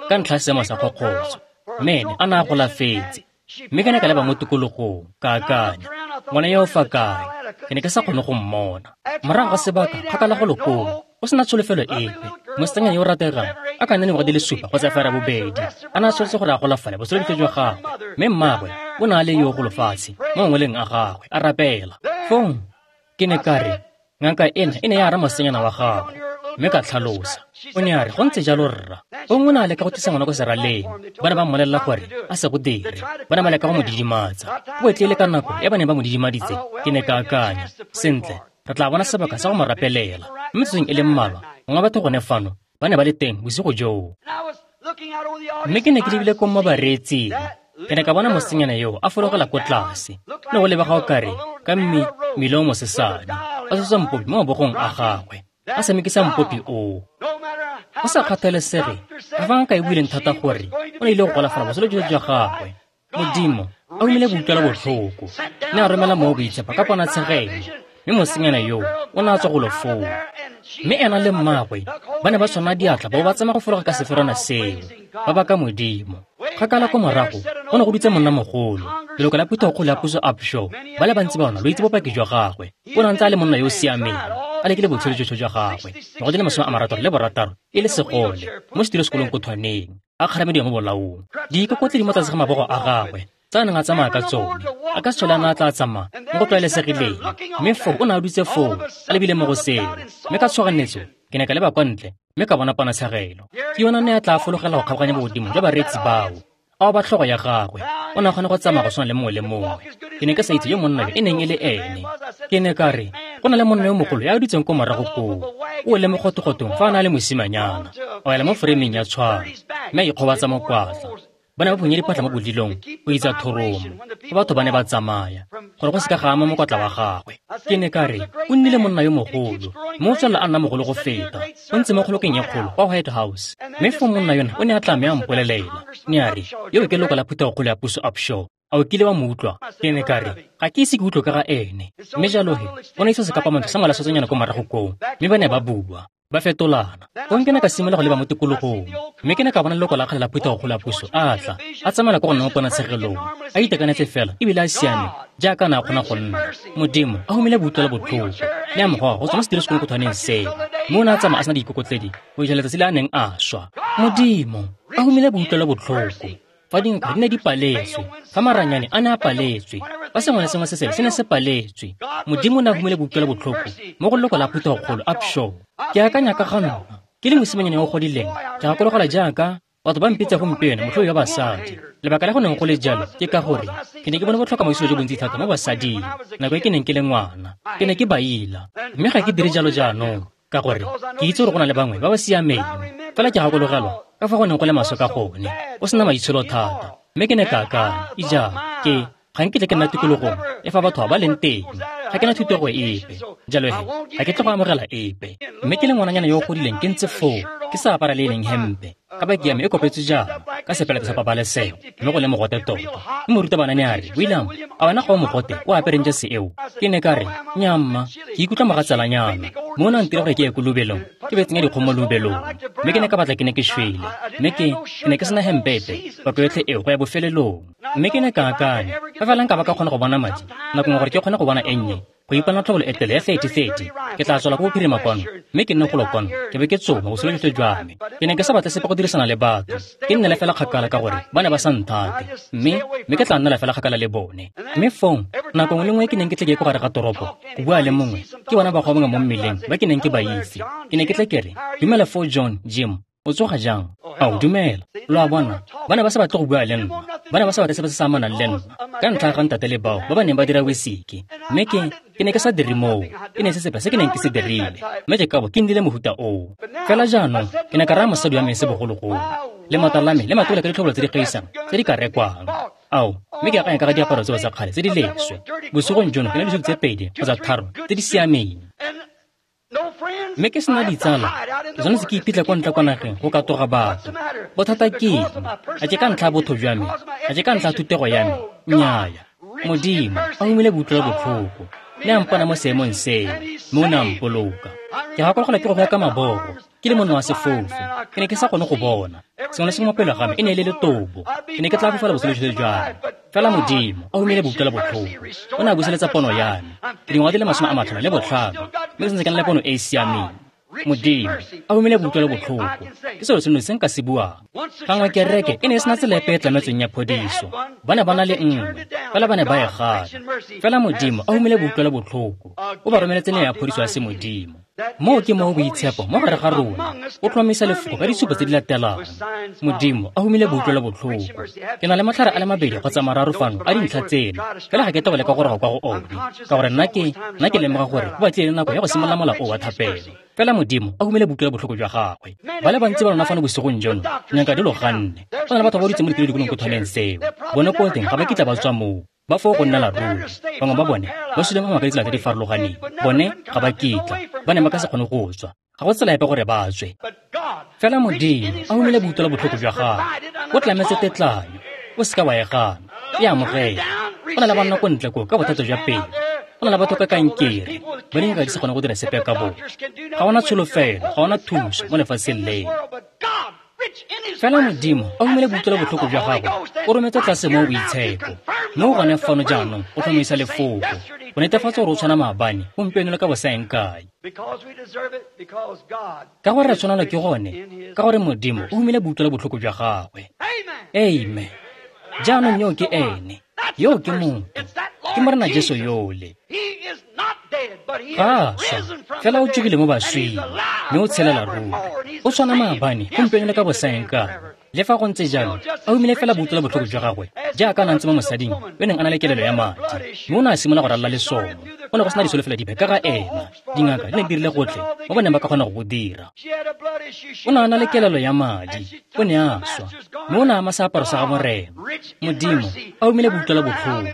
ka ntlha ya seemo sa kgokgotso, mme ene a ne a golafetse. Mme ke ne ka leba mo tikologong, ka akanya, ngwana yo o fa kae? Ke ne ke sa kgone go mmona. Morago ga sebaka, kgakala go lokong, o sena tsholofelo epe, mosetsanyana yo o rategang a ka nna dingwaga di le 7 kgotsa 8, a ne a tshwanetse gore a golafale botshelo jwa gagwe. Mme mmaagwe o ne a le yo golofatshe mo mangweleng a gagwe, a rapela. Fong ke ne ka re, ngaka ena e ne ya ara mosetsanyana wa gagwe, mme ka tlhalosa. O ne a re, go ntse jalo rra. Gongwe o ne a leka go tlisa ngwana ko seraleng, ba ne ba mmolelela gore a se go dire, ba ne ba leka go mo didimatsa. Go etlile ka nako e ba neng ba mo didimaditse, ke ne ka akanya, sentle, re tla bona sebaka sa go mo rapelela. Mme metsotsong e le mmalwa, mongwe wa batho gone fano ba ne ba le teng bosigo joo. Mme ke ne ke lebile ko mo bareetsing. Ke ne ka bona mosenyana yo a fologela ko tlase. Ne go lebega o kare ka mmele o mosesane, a tshotse mpopi mo mabogong a gagwe, a tshamekisa mpopi oo. Go sa kgathalesege ka fa ngaka e buileng thata gore o ne ile go golafala botshelo jotlhe jwa gagwe, Modimo a humile boutlwela botlhoko, ne a romela Mowa o Boitshepo ka ponatshegelo, mme mosenyana yo o ne a tswa golo foo. Mme ena le mmaagwe ba ne ba tshwana diatla ba bo ba tsamaya go fologa ka seferwana seo, ba baka Modimo. Kgakala ko morago go ne go dutse monnamogolo, leloko la phuthegokgolo ya puso Upshaw. Ba le bantsi ba bona lo itse bopaki jwa gagwe. O ne a ntse a le monna yo o siameng, a lekile botshelo jotlhe jwa gagwe, dingwaga di le 66 e le segole, mo setilosekolong ko thwaneng, a kgaramediwa mo bolaong. Diikokotledi mo tlase ga mabogo a gagwe tse a neng a tsamaya ka tsone, a ka se tlhole a ne a tla tsamaya mo go tlwaelesegileng. Mme foo o ne a dutse foo, a lebile mo go seo. Mme ka tshoganyetso ke ne ka leba kwa ntle mme ka bona ponatshegelo. Ke yona ne a tla fologela go kgabaganya bogodimo jwa bareetsi bao, a oba tlhogo ya gagwe. O ne a kgona go tsamaya go tshwana le mongwe le mongwe. Ke ne ke sa itse yo monna yo e neng e le ene. Ke ne ka re, go na le monna yo mogolo ya dutseng ko morago koo, o le mogotogotong fa a na le mosimanyana, a wela mo foreimeng ya tshwaro, mme a ikgobatsa mokwatla. Ba ne ba phunye diphatlha mo bodilong go itsa thoromo, fa batho ba ne ba tsamaya, gore go se ka ga ama mokwatla wa gagwe. Ke ne ka re, o nnile monna yo mogolo, mme o tswelela a nna mogolo go feta. O ntse mo kgolokeng e kgolo kwa White House. Mme foo monna yona o ne a tla mme a mpolelela. Ne a re, yo ke leloko la phuthegokgolo ya puso Upshaw. A o kile wa mo utlwa? Ke ne ka re, ga ke ise ke utlwe ka ga ene. Mme jalo he, o ne isa sekapamantswe sa ngwalasotsonyana ko morago koo, mme ba ne ba bua, ba fetolana. Fong ke ne ka simolola go leba mo tikologong, mme ke ne ka bona leloko la kgale la phuthegokgolo ya puso a tla, a tsamaela ko go nna mo ponatshegelong, a itekanetse fela ebile a siame jaaka a ne a kgona go nna. Modimo a humile boutlwelo botlhoko, ne a mo goga go tswa mo setilosekolong seo, mme o ne a tsamaya a sena diikokotledi go fitlha letsatsi le a neng a swa. Modimo a humile boutlwelo botlhoko. Fa dinkgwa di ne di paletswe, fa maranyane a ne a paletswe, fa sengwe le sengwe se sele se ne se paletswe, Modimo o ne a humile boutlwelo botlhoko mo go leloko la phuthegokgolo Upshaw. Ke akanya ka ga nna, ke le mosimanyana yo o godileng, ke gakologelwa jaaka batho ba mpitsa gompieno motlhoi wa basadi. Lebaka la go neng go le jalo ke ka gore ke ne ke bone botlhoka maitsholo jo bontsi thata mo basading nako e ke neng ke le ngwana. Ke ne ke ba ila, mme ga ke dire jalo jaanong, ka gore ke itse gore go na le bangwe ba ba siameng. Fela ke gakologelwa ka fa go neng go le maswe ka gone, o sena maitsholo thata. Mme ke ne ka akanya, ija, ke ga nkitla ke nna tikologong e fa batho ba leng teng, ga ke na thutego epe, jalo he ga ke tle go amogela epe. Mme ke le ngwananyana yo o godileng ke ntse foo, ke sa apara le e leng hempe, ka baki ya me e kopetswe jaana ka sepelete sa pabalesego, mme go le mogote tota. Mme morutabana ne a re, William, a wena ga o mogote o apereng jase eo? Ke ne ka re, nnyaa mma, ke ikutlwa mogatsalanyana. Mme o ne a ntira gore ke ye ko lobelong, ke be tsenya dikgomo mo lobelong. Mme ke ne ka batla ke ne ke shwele, mme ke ne ke sena hempe epe pako yotlhe eo go ya bofelelong. Mme ke ne ka akanya, fa fela nka ba ka kgona go bona madi nako nngwe gore ke kgone go bona e nnye, go ipona tlhobolo e tele ya 30-30, ke tla tswela ko bophirima kwano, mme ke nne golo kwano, ke be ke tsoma botshelo jotlhe jwa me. Ke ne ke sa batle sepe go dirisana le batho, ke nnele fela kgakala ka gore ba ne ba sa nthate, mme ke tla nnela fela kgakala le bone. Mme fong, nako nngwe le nngwe ke neng ke tle ke ye ko gare ga toropo go bua le mongwe, ke bona bagwa bangwe mo mmeleng ba ke neng ke ba itse. Ke ne ke tle ke re, dumela foo John, Jim, o tsoga jang? Ao, dumela. Lo a bona, ba ne ba sa batle go bua le nna, ba ne ba sa batle sepe se se amanang le nna ka ntlha ya ga ntate le bao ba ba neng ba dira wesiki. Mme ke ne ke sa dire moo, e ne se sepe se ke neng ke se dirile, mme ke kabo ke nnile mohuta oo. Fela jaanong ke ne ka raya mosadi wa me se bogologolo, lemata la me le matole ka ditlhobolo tse di gaisang tse di ka rekwang. Ao, mme ke akanya ka ga diaparo tseo tsa kgale tse di leswe. Bosigong jono ke na le disutu tse 2 kgotsa 3 tse di siameng. Mme ke sena ditsala, ke tshwanetse ke iphitlhe kwa ntle kwa nageng go katoga batho. Bothata ke eng? A ke ka ntlha ya botho jwa me? A ke ka ntlha ya thutego ya me? Nnyaya. Modimo a humile boutlwelo botlhoko, ne a mpona mo seemong seo, mme o ne a mpoloka. Ke gakologelwa ke go ya ka mabogo, ke le monna wa sefofu, ke ne ke sa kgone go bona. Sengwe le sengwe mo pele ga me e ne e le letobo. Ke ne ke tla fofela botshelo jotlhe jwa me. Fela Modimo a humile boutlwelo botlhoko, o ne a buseletsa pono ya me. Ke dingwaga di le 55, mme ke santse ke na le pono e e siameng. Modimo a humile boutlwelo botlhoko, ke selo seno se nka se buang. Gangwe kereke e ne e sena tsela epe e tlametsweng ya phodiso, ba ne ba na le nngwe, fela ba ne ba e gana. Fela Modimo a humile boutlwelo botlhoko, o ba romeletse neo ya phodiso ya semodimo. Moo ke mo boitshepo mo gare ga rona o tlhomamisa lefoko ka ditshupo tse di latelang. Modimo a humile boutlwelo botlhoko. Ke na le matlhare a le mabedi kgotsa mararo fano a dintlha tseno, fela ga ke tobele ka goroga kwa go one, ka gore nna ke lemoga gore go batlile le nako ya go simolola mola o wa thapelo. Fela Modimo a humile boutlwelo botlhoko jwa gagwe. Ba le bantsi ba lona fano bosigong jono, ngaka di lo ganne. Go na le batho ba ba dutse mo ditulo dikolong seo. Bone ko teng ga ba kitla ba tswa moo. Ba foo go nnela ruri. Bangwe ba bone ba sule mo ka ditsela tse di farologaneng. Bone ga ba kitla, ba ne ba ka se kgone go tswa. Ga go tsela epe gore ba tswe. Fela Modimo a humile boutlwelo botlhoko jwa gagwe. O tlametse tetlanyo. O seka wa e gana. E amogela. Go na le banna ko ntle koo ka bothata jwa pelo. Go na le batho ka kankere ba dingaka di se kgone go dira sepe ka bone. Ga ona tsholofelo, ga ona thuso mo lefatsheng leno. Fela Modimo a humile boutlwelo botlhoko jwa gagwe, o rometse tlase mo boitshepo. Mme o gone fano jaanong o tlhomamisa lefoko, go netefatsa gore o tshwana maabane, gompieno le ka bosaeng kae. Ka gore re tshwanelwa ke gone, ka gore Modimo o humile boutlwelo botlhoko jwa gagwe. Amen. Jaanong yo ke ene, yo ke motho, ke Morena Jesu yole. Ga a swa, fela o tsogile mo baswing, mme o tshelela ruri. O tshwana maabane, gompieno le ka bosaeng kae. Le fa go ntse jalo, a humile fela boutlwelo botlhoko jwa gagwe, jaaka a na ntse mo mosading yo neng a na le kelelo ya madi, mme o ne a simolola go ralala lesomo. Go ne go sena disolofelo dipe ka ga ena. Dingaka di ne di dirile gotlhe mo ba neng ba ka kgona go go dira. O ne a na le kelelo ya madi, o ne a swa, mme o ne a ama seaparo sa ga Morena. Modimo a humile boutlwelo botlhoko.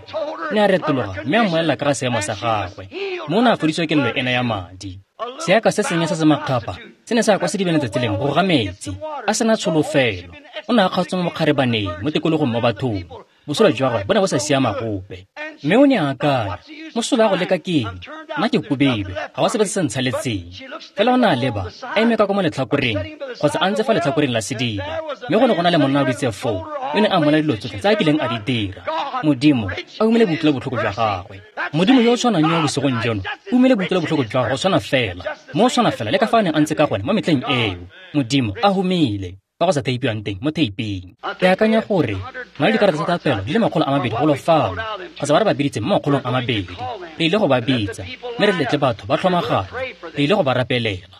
Ne a retologa mme a mmolelela ka ga seemo sa gagwe, mme o ne a fodisiwa kelelo ena ya madi. Seaka se sennye se se makgapha se ne sa ya kwa sedibeng letsatsi lengwe go ga metsi, a sena tsholofelo. O ne a kgaotswe mo mokgarebaneng mo tikologong mo bathong. Botshelo jwa gagwe bo ne bo sa siama gope. Mme o ne a akanya, mosola wa go leka ke eng? Nna ke kobelwe, ga go sepe se se ntshaletseng. Fela o ne a leba, a eme ka kwa mo letlhakoreng, kgotsa a ntse fa letlhakoreng la sediba. Mme go ne go na le monna a dutse foo, yo ne a mmolela dilo tsotlhe tse a kileng a di dira. Modimo a humile boutlwelo botlhoko jwa gagwe. Modimo yo o tshwanang yo bosigong jono, o humile boutlwelo botlhoko jwa gagwe go tshwana fela, mo o tshwana fela le ka fa a neng a ntse ka gone mo metlheng eo. Modimo a humile fa go sa theipiwang teng mo theiping. Ke akanya gore na le dikarata tsa thapelo di le 200 golo fano, kgotsa ba re ba biditse mo 200. Re ile go ba bitsa, mme re letle batho ba tlhomagane. Re ile go ba rapelela.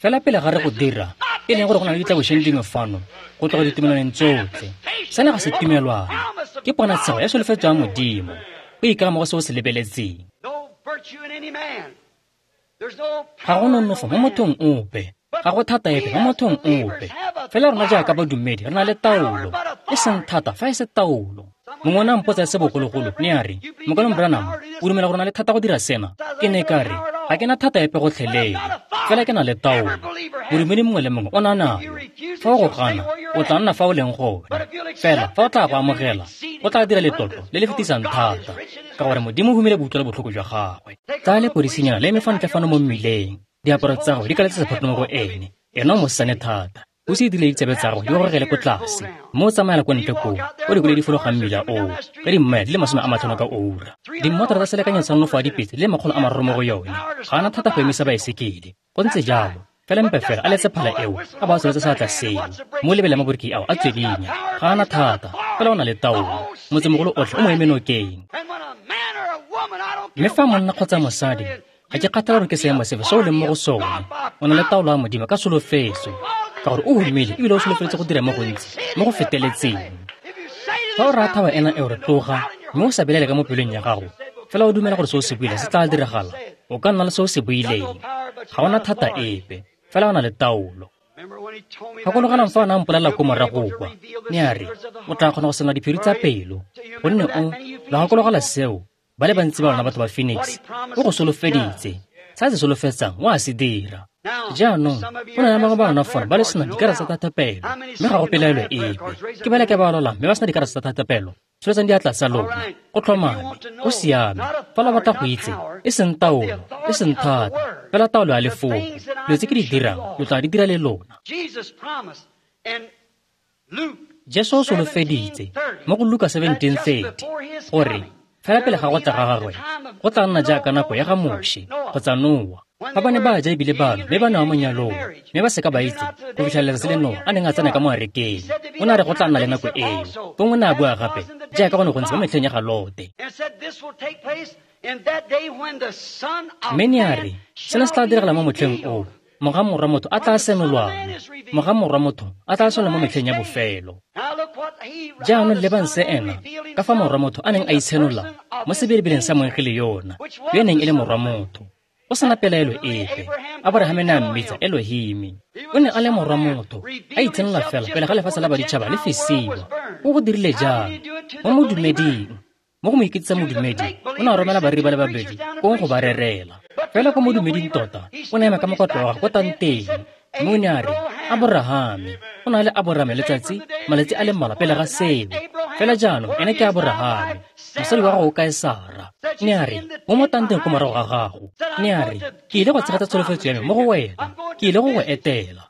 Fela pele ga re go dira, e leng gore go na le ditlabošeng dingwe fano go tloga ditumelwaneng tsotlhe. Sena ga se tumelwana, ke ponatshego ya solofetso ya Modimo, go ikama mo go se o se lebeletseng. Ga go nonofo mo mothong ope, ga go thata epe mo mothong ope. Fela rona jaaka badumedi re na le taolo, e seng thata fa e se taolo. Mongwe o ne a mpotsa se bogologolo, ne a re, Mokaulengwe Branham, o dumela gore o na le thata go dira sena? Ke ne ka re, ga ke na thata epe gotlhelele, fela ke na le taolo. Modumedi mongwe le mongwe o na nayo. Fa o go gana, o tla nna fa o leng gone. Fela fa o tla go amogela, o tla dira letlotlo le le fetisang thata, ka gore Modimo o humile boutlwelo botlhoko jwa gagwe. Tsaya lepodisinyana le eme fa ntle fano mo mmileng, diaparo tsa gagwe di kaletse sephatlo mo go ene. Ena o mosesane thata. O se dirile ditsebe tsa gagwe di gogele ko tlase, mme o tsamaela ko ntle koo, o dikoloi di fologang mmila oo, ka dimmaele di le 50 ka oura. Dimmotoro tsa selekanyo sa nonofo ya dipetse di le 300 mo go yone. Ga ana thata go emisa baesekele. Go ntse jalo, fela mpe fela a letse phala eo, a ba a tsholetse seatla seo, mme o lebele maboriki ao a tswedinya. Ga ana thata, fela o na le taolo. Motsemogolo otlhe o mo eme nokeng. Mme fa monna kgotsa mosadi, ga ke kgathale gore ke seemo sefe se o leng mo go sone, o na le taolo ya Modimo ka solofetso, ka gore o humile ebile o solofeletse go dira mo gontsi mo go feteletseng. Fa o raya thaba ena eo re tloga, mme o sa belaele ka mo pelong ya gago, fela o dumela gore se o se buile se tla diragala, o ka nna le se o se buileng. Ga ona thata epe, fela o na le taolo. Gakologelang fa o ne a mpolelela ko morago kwa, ne a re, o tla kgona go senola diphiri tsa pelo, gonne o lo gakologela seo. Ba le bantsi ba lona batho ba Phoenix, o go solofeditse. Se a se solofetsang o a se dira. Jaanong, go na le bangwe ba lona fano ba le sena dikarata tsa thapelo, mme ga go pelaelo epe. Ke ba le ke ba lwalang mme ba sena dikarata tsa thapelo, tsholetsang diatla tsa lona. Go tlhomame, go siame. Fa lo batla go itse, e seng taolo, e seng thata, fela taolo ya lefoko. Dilo tse ke di dirang, lo tla di dira le lona. Jesu o solofeditse mo go Luka 17:30 gore fela pele ga go tla ga gagwe, go tla nna jaaka nako ya ga Moshe kgotsa Noa. Fa ba ne ba ja ebile ba nwa mme ba nwa mo nyalong, mme ba seka ba itse go fitlha letsatsi le Noa a neng a tsena ka mo arekeng. O ne a re go tla nna le nako eo. Fong o ne a bua gape jaaka go ne go ntse mo metlheng ya ga Lote. Mme ne a re sena se tla diragala mo motlheng o moga morwa motho a tla senolwang, moga morwa motho a tla senolwa mo metlheng ya bofelo. Jaanong lebang se ena ka fa morwa motho a neng a itshenola mo sebelebeleng sa moengele yona, yo e neng e le morwa motho. Go sena pelaelo epe, Aborahame ne a mmitsa Elohimi. O ne a le morwa motho, a itshenola fela pele ga lefatshe la baditšhaba le fisiwa. O go dirile jang? Mo modumeding, mo go mo iketsisa modumedi, o ne a romela bareri ba le babedi kong go ba rerela. Fela ko modumeding tota, o ne a ema ka mokotlo wa gagwe ko tanteng, mme o ne a re, Aborahame. O ne a le Aborahame letsatsi, malatsi a le mmalwa pele ga seo. Fela jaanong ene ke Aborahame. Mosadi wa gago o kae Sara? Ne a re, mo mo tanteng ko morago ga gago. Ne a re, ke ile go tshegetsa tsholofetso ya me mo go wena. Ke ile go go etela.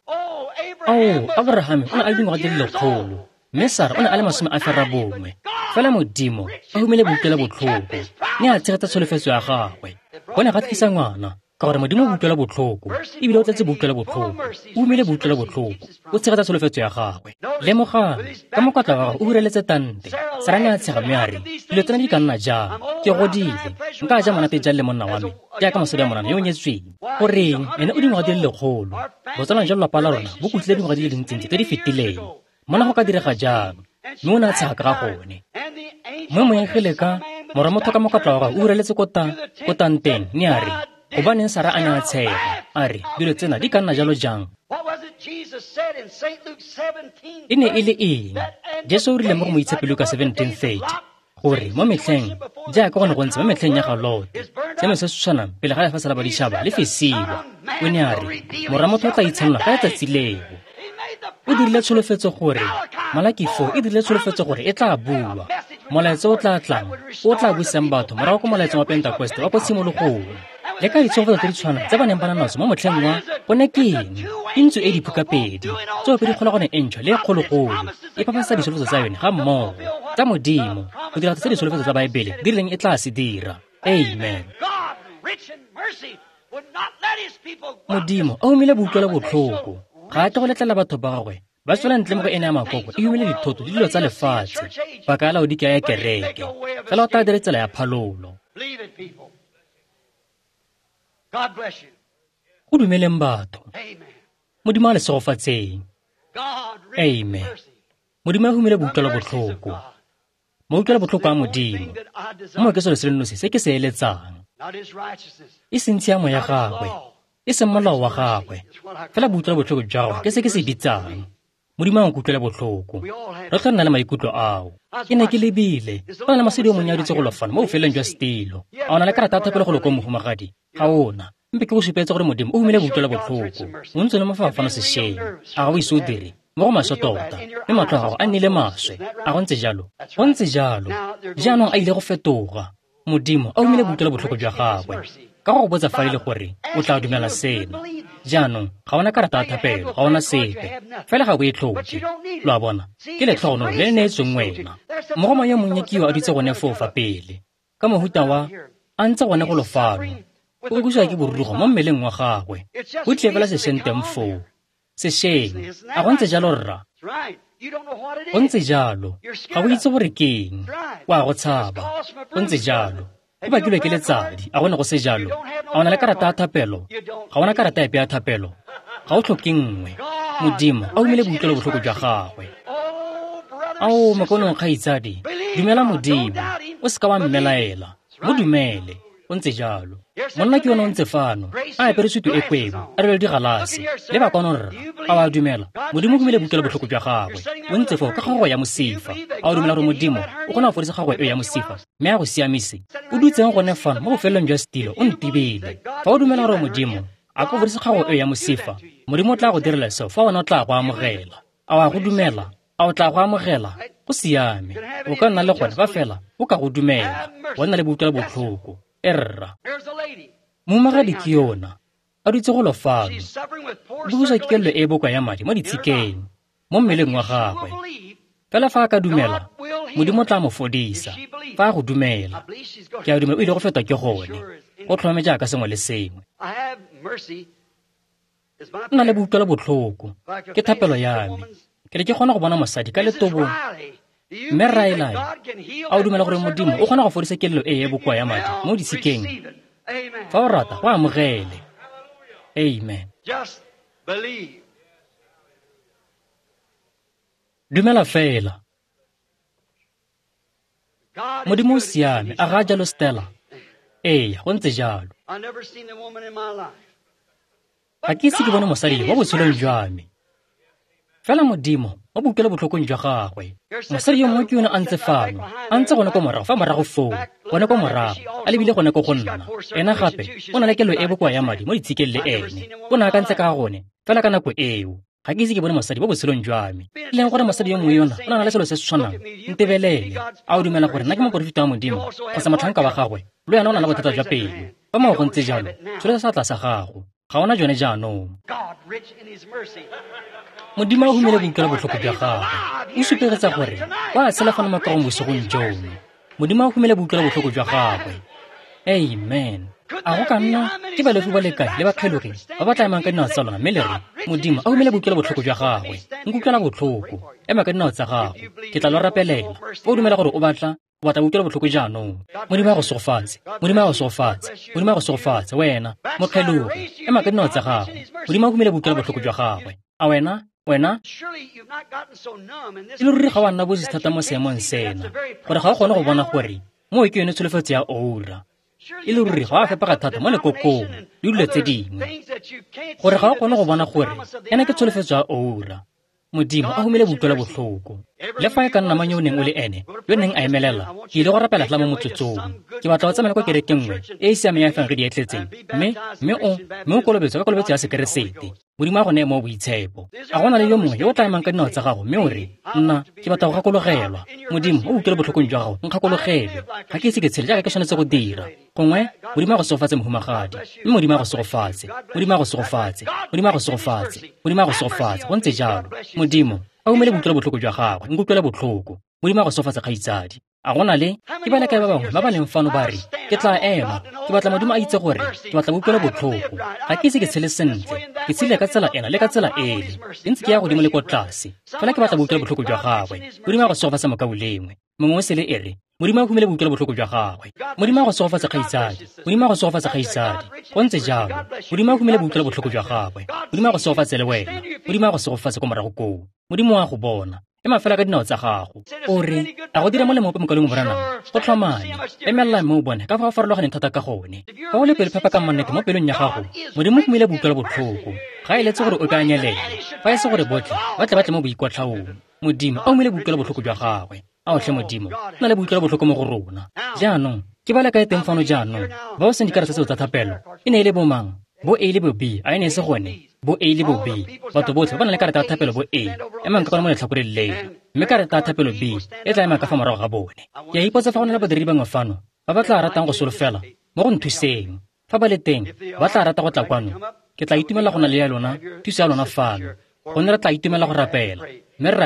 Ao, Aborahame o ne a le dingwaga di le 100, mme Sara o ne a le 90. Fela Modimo a humile boutlwela botlhoko, ne a tshegetsa tsholofetso ya gagwe. Go ne ga tlisa ngwana, ka gore Modimo o utlwela botlhoko, ebile o tletse boutlwela botlhoko, o humile boutlwela botlhoko, o tshegetsa tsholofetso ya gagwe. Lemogang, ka mokotla wa gagwe o hureletse tante. Sara ne a tshega mme a re, dilo tsena di ka nna jang? Ke godile, nka ja monate jang le monna wa me, jaaka mosadi wa monana yo o nyetsweng. Goreng, ene o dingwaga di le 100. Botsalano jwa lelapa la rona bo kutlile dingwaga di le dintsintsi tse di fetileng. Mona go ka direga jang? Mme o ne a tshega ka ga gone. Mme moengele ka morwa motho ka mokotla wa gagwe o hureletse ko tanteng, ne a re, gobaneng Sara a ne a tshega, a re, dilo tsena di ka nna jalo jang? E ne e le eng? Jesu o rile mo go Moitshepi Luka 17:30 gore mo metlheng jaaka go ne go ntse mo metlheng ya ga Lote, seno se se tshwanang pele ga lefatshe la baditšhaba le fisiwa. O ne a re, morwa motho o tla itshenola ka letsatsi leo. O dirile tsholofetso gore Malaki 4 e dirile tsholofetso gore e tla bua. Molaetsa o tla tlang, o tla busang batho morago ko molaetseng wa Pentekoste wa ko tshimologong. Le ka ditsholofetso tse di tshwanang tse ba neng ba na natso mo motlheng wa gone ke eng? Ke ntsu e diphukapedi, tsoopedi kgolagano e ntšhwa le e kgologolo, e phaphasetsa ditsholofetso tsa yone ga mmogo tsa Modimo go dira tse ditsholofetso tsa Baebele di rileng e tla se dira. Amen. Modimo a humile boutlwela botlhoko, ga a tle go letlela batho ba gagwe ba tswela ntle mo go ene ya makoko e humile dithoto le dilo tsa lefatshe, paka ya Laodikea ya kereke. Fela o tla dire tsela ya phalolo. Go dumeleng batho. Modimo a le segofatseng. Amen. Modimo a humile boutlwela botlhoko. Mautlwela botlhoko a Modimo. Mo ke selo se le nosi se ke se eletsang. E seng tshiamo ya gagwe, e seng molao wa gagwe, fela boutlwela botlhoko jwa gagwe ke se ke se bitsang. Modimo a nkutlwela botlhoko. Re tla nna le maikutlo ao. Ke ne ke lebile, go na le mosadi yo monnye a dutse golo fano mo bofelong jwa setilo. A o na le karata ya thapelo golo ko mohumagadi? Ga ona. Mpe ke go supetse gore Modimo o humile boutlwela botlhoko. O ntse le mo fano sešweng. A ga o ise o dire? Mo go maswe tota, mme matlho a gago a nnile maswe. A go ntse jalo? Go ntse jalo. Jaanong a ile go fetoga. Modimo a humile boutlwela botlhoko jwa gagwe. Ka go botsa fa ile gore o tla dumela seno. Jaanong ga ona karata ya thapelo, ga ona sepe. Fela ga o e tlhoke. Lo a bona? Ke letlhogonolo le le neetsweng wena. Mogoma yo monnye ke yo a dutse gone foo fa pele. Ka mohuta wa a ntse gone golo fano. O utlwisiwa ke borurugo mo mmeleng wa gagwe. O tlile fela sešweng teng foo. Sešweng. A go ntse jalo rra? Go ntse jalo. Ga o itse gore ke eng. O a go tshaba. Go ntse jalo. O bakilwe ke letsadi, a go ne go se jalo? A o na le karata ya thapelo? Ga ona karata epe ya thapelo? Ga o tlhoke nngwe. Modimo a humile boutlwelo botlhoko jwa gagwe. Ao, mokaulengwe kgaitsadi, dumela Modimo. O seka wa mmelaela. Mo dumele. O ntse jalo. Monna ke yone o ntse fano, a apere sutu e kwebo, a rwele digalase. Le ba kwano rra, a wa dumela? Modimo o humile boutlwelo botlhoko jwa gagwe. O ntse foo ka kgagogo ya mosifa. A o dumela gore Modimo o kgona go fodisa kgagogo eo ya mosifa, mme a go siamise? O dutseng gone fano mo bofelong jwa setilo, o ntibile. Fa o dumela gore Modimo a ka fodisa kgagogo eo ya mosifa, Modimo o tla go direla seo fa wena o tla go amogela. A wa go dumela? A o tla go amogela? Go siame. O ka nna le gone fa fela o ka go dumela. Wa nna le boutlwela botlhoko. Erra. Mohumagadi ke yona, a dutse golo fano. O busa ke kelelo e e bokoa ya madi mo ditshikeng, mo mmeleng wa gagwe. Fela fa a ka dumela, Modimo o tla mo fodisa. Fa a go dumela, ke a dumela o ile go fetwa ke gone. Go tlhomame jaaka sengwe le sengwe. Nna le boutlwelo botlhoko, ke thapelo ya me. Ke ne ke kgona go bona mosadi ka letobo. Mme Riley, a o dumela gore Modimo o kgona go fodisa kelelo e e bokoa ya madi mo ditshikeng? Fa o rata, go amogele. Amen. Dumela fela. Modimo o siame, a ga jalo Stella? Ee, go ntse jalo. Ga ke ise ke bone mosadi mo botshelong jwa me. Fela Modimo o boutlwelo botlhokong jwa gagwe. Mosadi yo mongwe ke yone a ntse fano, a ntse gone ko morago, fa morago foo, gone ko morago, a lebile gone ko go nna. Ena gape o na le kelo e bokoa ya madi mo ditshikeng le ene. O ne a akantse ka ga gone fela ka nako eo. Ga ke ise ke bone mosadi mo botshelong jwa me. E leng gore mosadi yo mongwe yona o na le selo se se tshwanang. Ntebelele. A o dumela gore nna ke moporofeta wa Modimo kgotsa motlhanka wa gagwe? Le wena o na le bothata jwa pelo. Fa moo go ntse jalo, tsholetsa seatla sa gago. Ga ona jone jaanong. Modimo a humile boutlwelo botlhoko jwa gagwe. O supegetsa gore o a tshela fano mo kagong bosigong jono. Modimo a humile boutlwelo botlhoko jwa gagwe. Amen. A go ka nna ke baleofi ba le kae le bakgelogi ba ba tla emang ka dinao tsa lona mme le re, Modimo a humile boutlwelo botlhoko jwa gagwe, nkutlwela botlhoko, ema ka dinao tsa gago, ke tla lo rapelela. Fa o dumela gore o batla boutlwelo botlhoko jaanong. Modimo a go segofatse, Modimo a go segofatse, Modimo a go segofatse, wena mokgelogi, ema ka dinao tsa gago. Modimo a humile boutlwelo botlhoko jwa gagwe. A wena, e le ruri ga wa nna bosi thata mo seemong sena, gore ga o kgone go bona gore moo ke yone tsholofetso ya oura. E le ruri ga wa fepega thata mo lekokong le dilo tse dingwe, gore ga o kgone go bona gore ena ke tsholofetso ya oura. Modimo a humile boutlwelo botlhoko. Le fa e ka nna mang yo o neng o le ene, yo neng a emelela, ke ile go rapela fela mo motsotsong. Ke batla go tsamaela kwa kerekeng nngwe e e siameng ya efangedi e tletseng, mme o kolobetswe ka kolobetso ya Sekeresete. Modimo a go neye mo boitshepo. A go na le yo mongwe yo o tla emang ka dinao tsa gago mme o re, nna ke batla go gakologelwa. Modimo o utlwele botlhokong jwa gago, nkgakologelwe. Ga ke ise ke tshele jaaka ke tshwanetse go dira. Gongwe Modimo a go segofatse mohumagadi, mme Modimo a go segofatse, Modimo a go segofatse, Modimo a go segofatse, Modimo a go segofatse. Go ntse jalo. Modimo a umele boutlwelo botlhoko jwa gagwe, nkutlwele botlhoko. Modimo a go segofatse kgaitsadi. A go na le ke ba le kae ba bangwe ba ba leng fano ba re, ke tla ema, ke batla Modimo a itse gore ke batla boutlwelo botlhoko. Ga ke ise ke tshele sentle, ke tshele ka tsela ena le ka tsela ele, ke ntse ke ya godimo le ko tlase, fela ke batla boutlwelo botlhoko jwa gagwe. Modimo a go segofatse mokaulengwe. Mongwe o sele e re, Modimo a humile boutlwelo botlhoko jwa gagwe. Modimo a go segofatse kgaitsadi. Modimo a go segofatse kgaitsadi. Go ntse jalo. Modimo a humile boutlwelo botlhoko jwa gagwe. Modimo a go segofatse le wena. Modimo a go segofatse ko morago koo. Modimo a go bona. Ema fela ka dinao tsa gago. O re, a go dira molemo ope mokaulengwe Branham? Go tlhomame. Emelela mme o bone ka fa o farologaneng thata ka gone. Fa o le pelo phepa ka mannete mo pelong ya gago, Modimo o humile boutlwelo botlhoko. Ga e letse gore o ka nyelela, fa e se gore botlhe ba tle ba tle mo boikwatlhaong. Modimo a humile boutlwelo botlhoko jwa gagwe. A otlhe Modimo, nna le boutlwelo botlhoko mo go rona. Jaanong, ke ba le kae teng fano jaanong? Ba o seng dikarata tseo tsa thapelo, e ne e le bo mang? Bo A le bo B, a e ne e se gone? Bo A le bo B. Batho botlhe ba na le karata ya thapelo bo A, emang ka kwana mo letlhakoreng leno. Mme karata ya thapelo B e tla ema ka fa morago ga bone. Ke a ipotsa fa go na le badiredi bangwe fano ba ba tla ratang go solofela mo go nthuseng. Fa ba le teng, ba tla rata go tla kwano. Ke tla itumela go na le ya lona, thuso ya lona fano. Gonne re tla itumela go rapela, mme re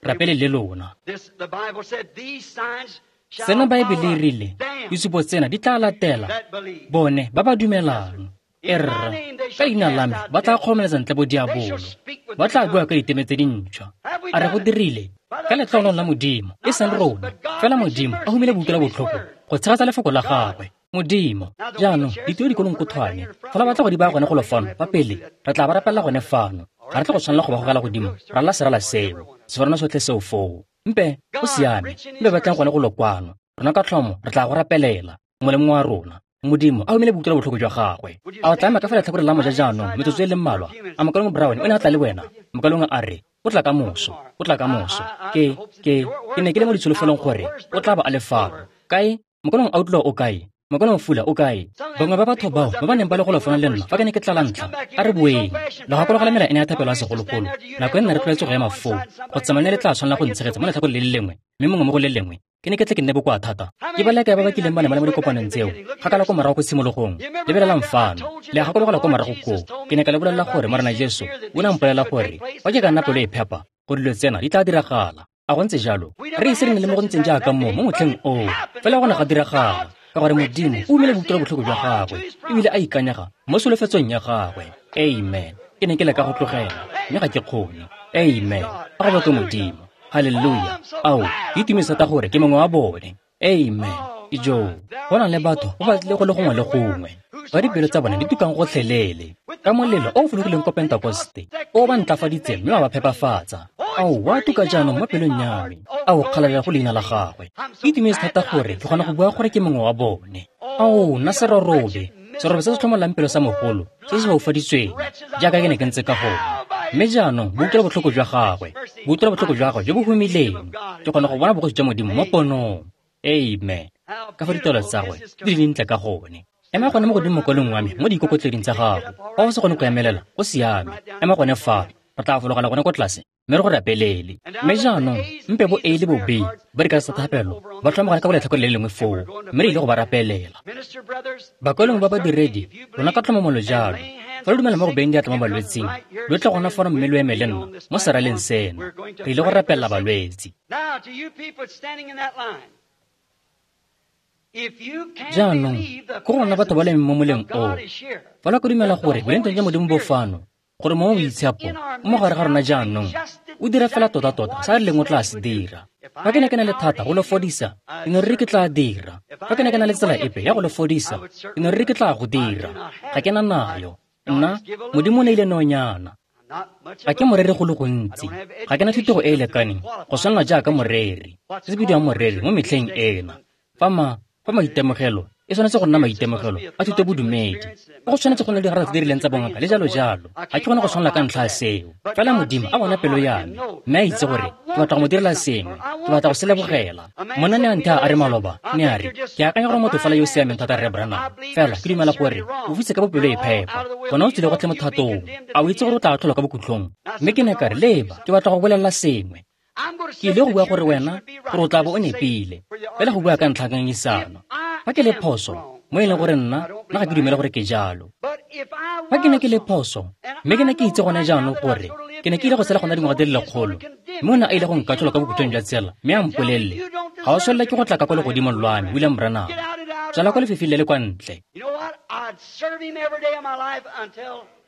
rapele le lona. Sena Baebele e rile, disupo tsena di tla latela bone ba ba dumelang. Erra, ka leina la me ba tla kgoromeletsa ntle bo diabolo, ba tla bua ka diteme tse dintšhwa. A re go dirile ka letlhogonolo la Modimo, e seng rona, fela Modimo a humile boutlwelo botlhoko go tshegetsa lefoko la gagwe. Modimo, jaanong ditiro dikolonkothwane, fela ba tla go di baya gone golo fano fa pele, re tla ba rapelela gone fano. Ga re tle go tshwanela go ba gogela godimo, ra lla serala seo, seforana sotlhe seo foo. Mpe, go siame, mpe ba tlang gone golo kwano. Rona ka tlhomo re tla go rapelela, molemo wa rona. Modimo a humile boutlwelo botlhoko jwa gagwe. A o tla ema ka fa letlhakoreng la moja jaanong metsotso e le mmalwa? A mokaulengwe Brown o ne a tla le wena? Mokaulengwe a re, o tla ka moso, o tla ka moso. Ke ne ke le mo ditsholofelong gore o tla ba a le fano. Kae? Mokaulengwe Outlaw o kae? Mokaulengwe Fula o kae? Bangwe ba batho bao ba ba neng ba le golo fano le nna fa ke ne ke tla la ntlha, a re boeng. Le gakologela mela ene ya thapelo ya segologolo. Nako e nna re tlwaetse go ema foo, go tsamaya le tla tshwanela go ntshegetsa mo letlhakoreng le le lengwe, mme mongwe mo go le lengwe. Ke ne ke tle ke nne bokoa thata. Ke ba le kae ba ba kileng ba ne ba le mo dikopanong tseo, kgakala ko morago ko tshimologong. Lebelelang fano. Le a gakologela ko morago koo. Ke ne ka le bolelela gore Morena Jesu o ne a mpolelela gore fa ke ka nna pelo e phepa, gore dilo tsena di tla diragala. A go ntse jalo? Re ise re ne le mo go ntseng jaaka mo motlheng oo, fela go ne ga diragala. Ka gore Modimo o umile boutlwelo botlhoko jwa gagwe ebile a ikanyega mo solofetsong ya gagwe. Amen. Ke ne ke leka go tlogela, mme ga ke kgone. Amen. A go bake Modimo. Haleluya. Ao, ke itumetse thata gore ke mongwe wa bone. Amen. Ijoo, go na le batho ba ba tlile go le gongwe le gongwe, ba dipelo tsa bone di tukang gotlhelele ka molelo o o fologileng ko Pentekoste, o ba ntlafaditseng mme wa ba phepafatsa. Ao, wa tuka jaanong mo pelong ya me. Ao, kgalalela go leina la gagwe. Ke itumetse thata gore ke kgona go bua gore ke mongwe wa bone. Ao, nna serorobe, serobe se se tlhomolang pelo sa mogolo, se se foufaditsweng, jaaka ke ne ke ntse ka gone. Mme jaanong boutlwelo botlhoko jwa gagwe, boutlwelo botlhoko jwa gagwe jo bo humileng, ke kgona go bona bogosi jwa Modimo mo ponong. Amen. Ka fa ditaelo tsa gagwe di le dintle ka gone. Ema gone mo godimo mokwalong wa me mo diikokotleding tsa gago. Fa o se kgone go emelela, go siame. Ema gone fa. Re tla fologela gone ko tlase mme re go rapelele. Mme jaanong mpe bo A le bo B ba di ka tsa thapelo ba tlhomagane ka go letlhakore le lengwe foo, mme re ile go ba rapelela. Bakwalong ba badiredi, lona ka tlhomamolo jalo, fa lo dumela mo go beng diatla mo balwetsing, lo tle gona fano mme lo eme le nna mo seraleng seno. Re ile go rapelela balwetsi. Jaanong, ko go rona batho ba leng mo moleng oo, fa lo ka dumela gore boleng jwa Modimo bo fano, gore Mowa o Boitshepo o mo gare ga rona jaanong, o dira fela tota-tota sa re leng o tla se dira. Fa ke ne ke na le thata go lo fodisa, ke ne ruri ke tla dira. Fa ke ne ke na le tsela epe ya go lo fodisa, ke ne ruri ke tla go dira. Ga ke na nayo. Nna, Modimo o neile nonyana. Ga ke moreri go le gontsi. Ga ke na thutego e e lekaneng go tshwanela jaaka moreri. Se se bidiwang moreri mo metlheng ena. Fa fa maitemogelo e tshwanetse go nna maitemogelo a thuto bodumedi, go tshwanetse go nna le digarata tse di rileng tsa bongaka le jalo jalo. Ga ke kgone go tshwanela ka ntlha ya seo. Fela Modimo a bona pelo ya me mme a itse gore ke batla go mo direla sengwe, ke batla go se lebogela. Monna ne a nthaya a re maloba, ne a re, ke akanya gore motho fela yo o siameng thata Rre Branham, fela ke dumela gore o futse ka bopelo e phepa. Gona o tswile gotlhe mo thatong. A o itse gore o tla atlholwa ka bokhutlong? Mme ke ne ka re, leba, ke batla go bolelela sengwe. Ke ile go bua gore wena gore o tla bo o nepile, fela go bua ka ntlha ngangisano. Fa ke le phoso, mo e leng gore nna ga ke dumele gore ke jalo. Fa ke ne ke le phoso, mme ke ne ke itse gone jaanong gore ke ne ke ile go tshela gona dingwaga di le lekgolo, mme o ne a ile go nkatlhola ka bokhutlong jwa tsela mme a mpolelele, ga o tshwanela ke go tla ka kwa legodimong lwa me, William Branham. Tswela kwa lefifing le le kwa ntle.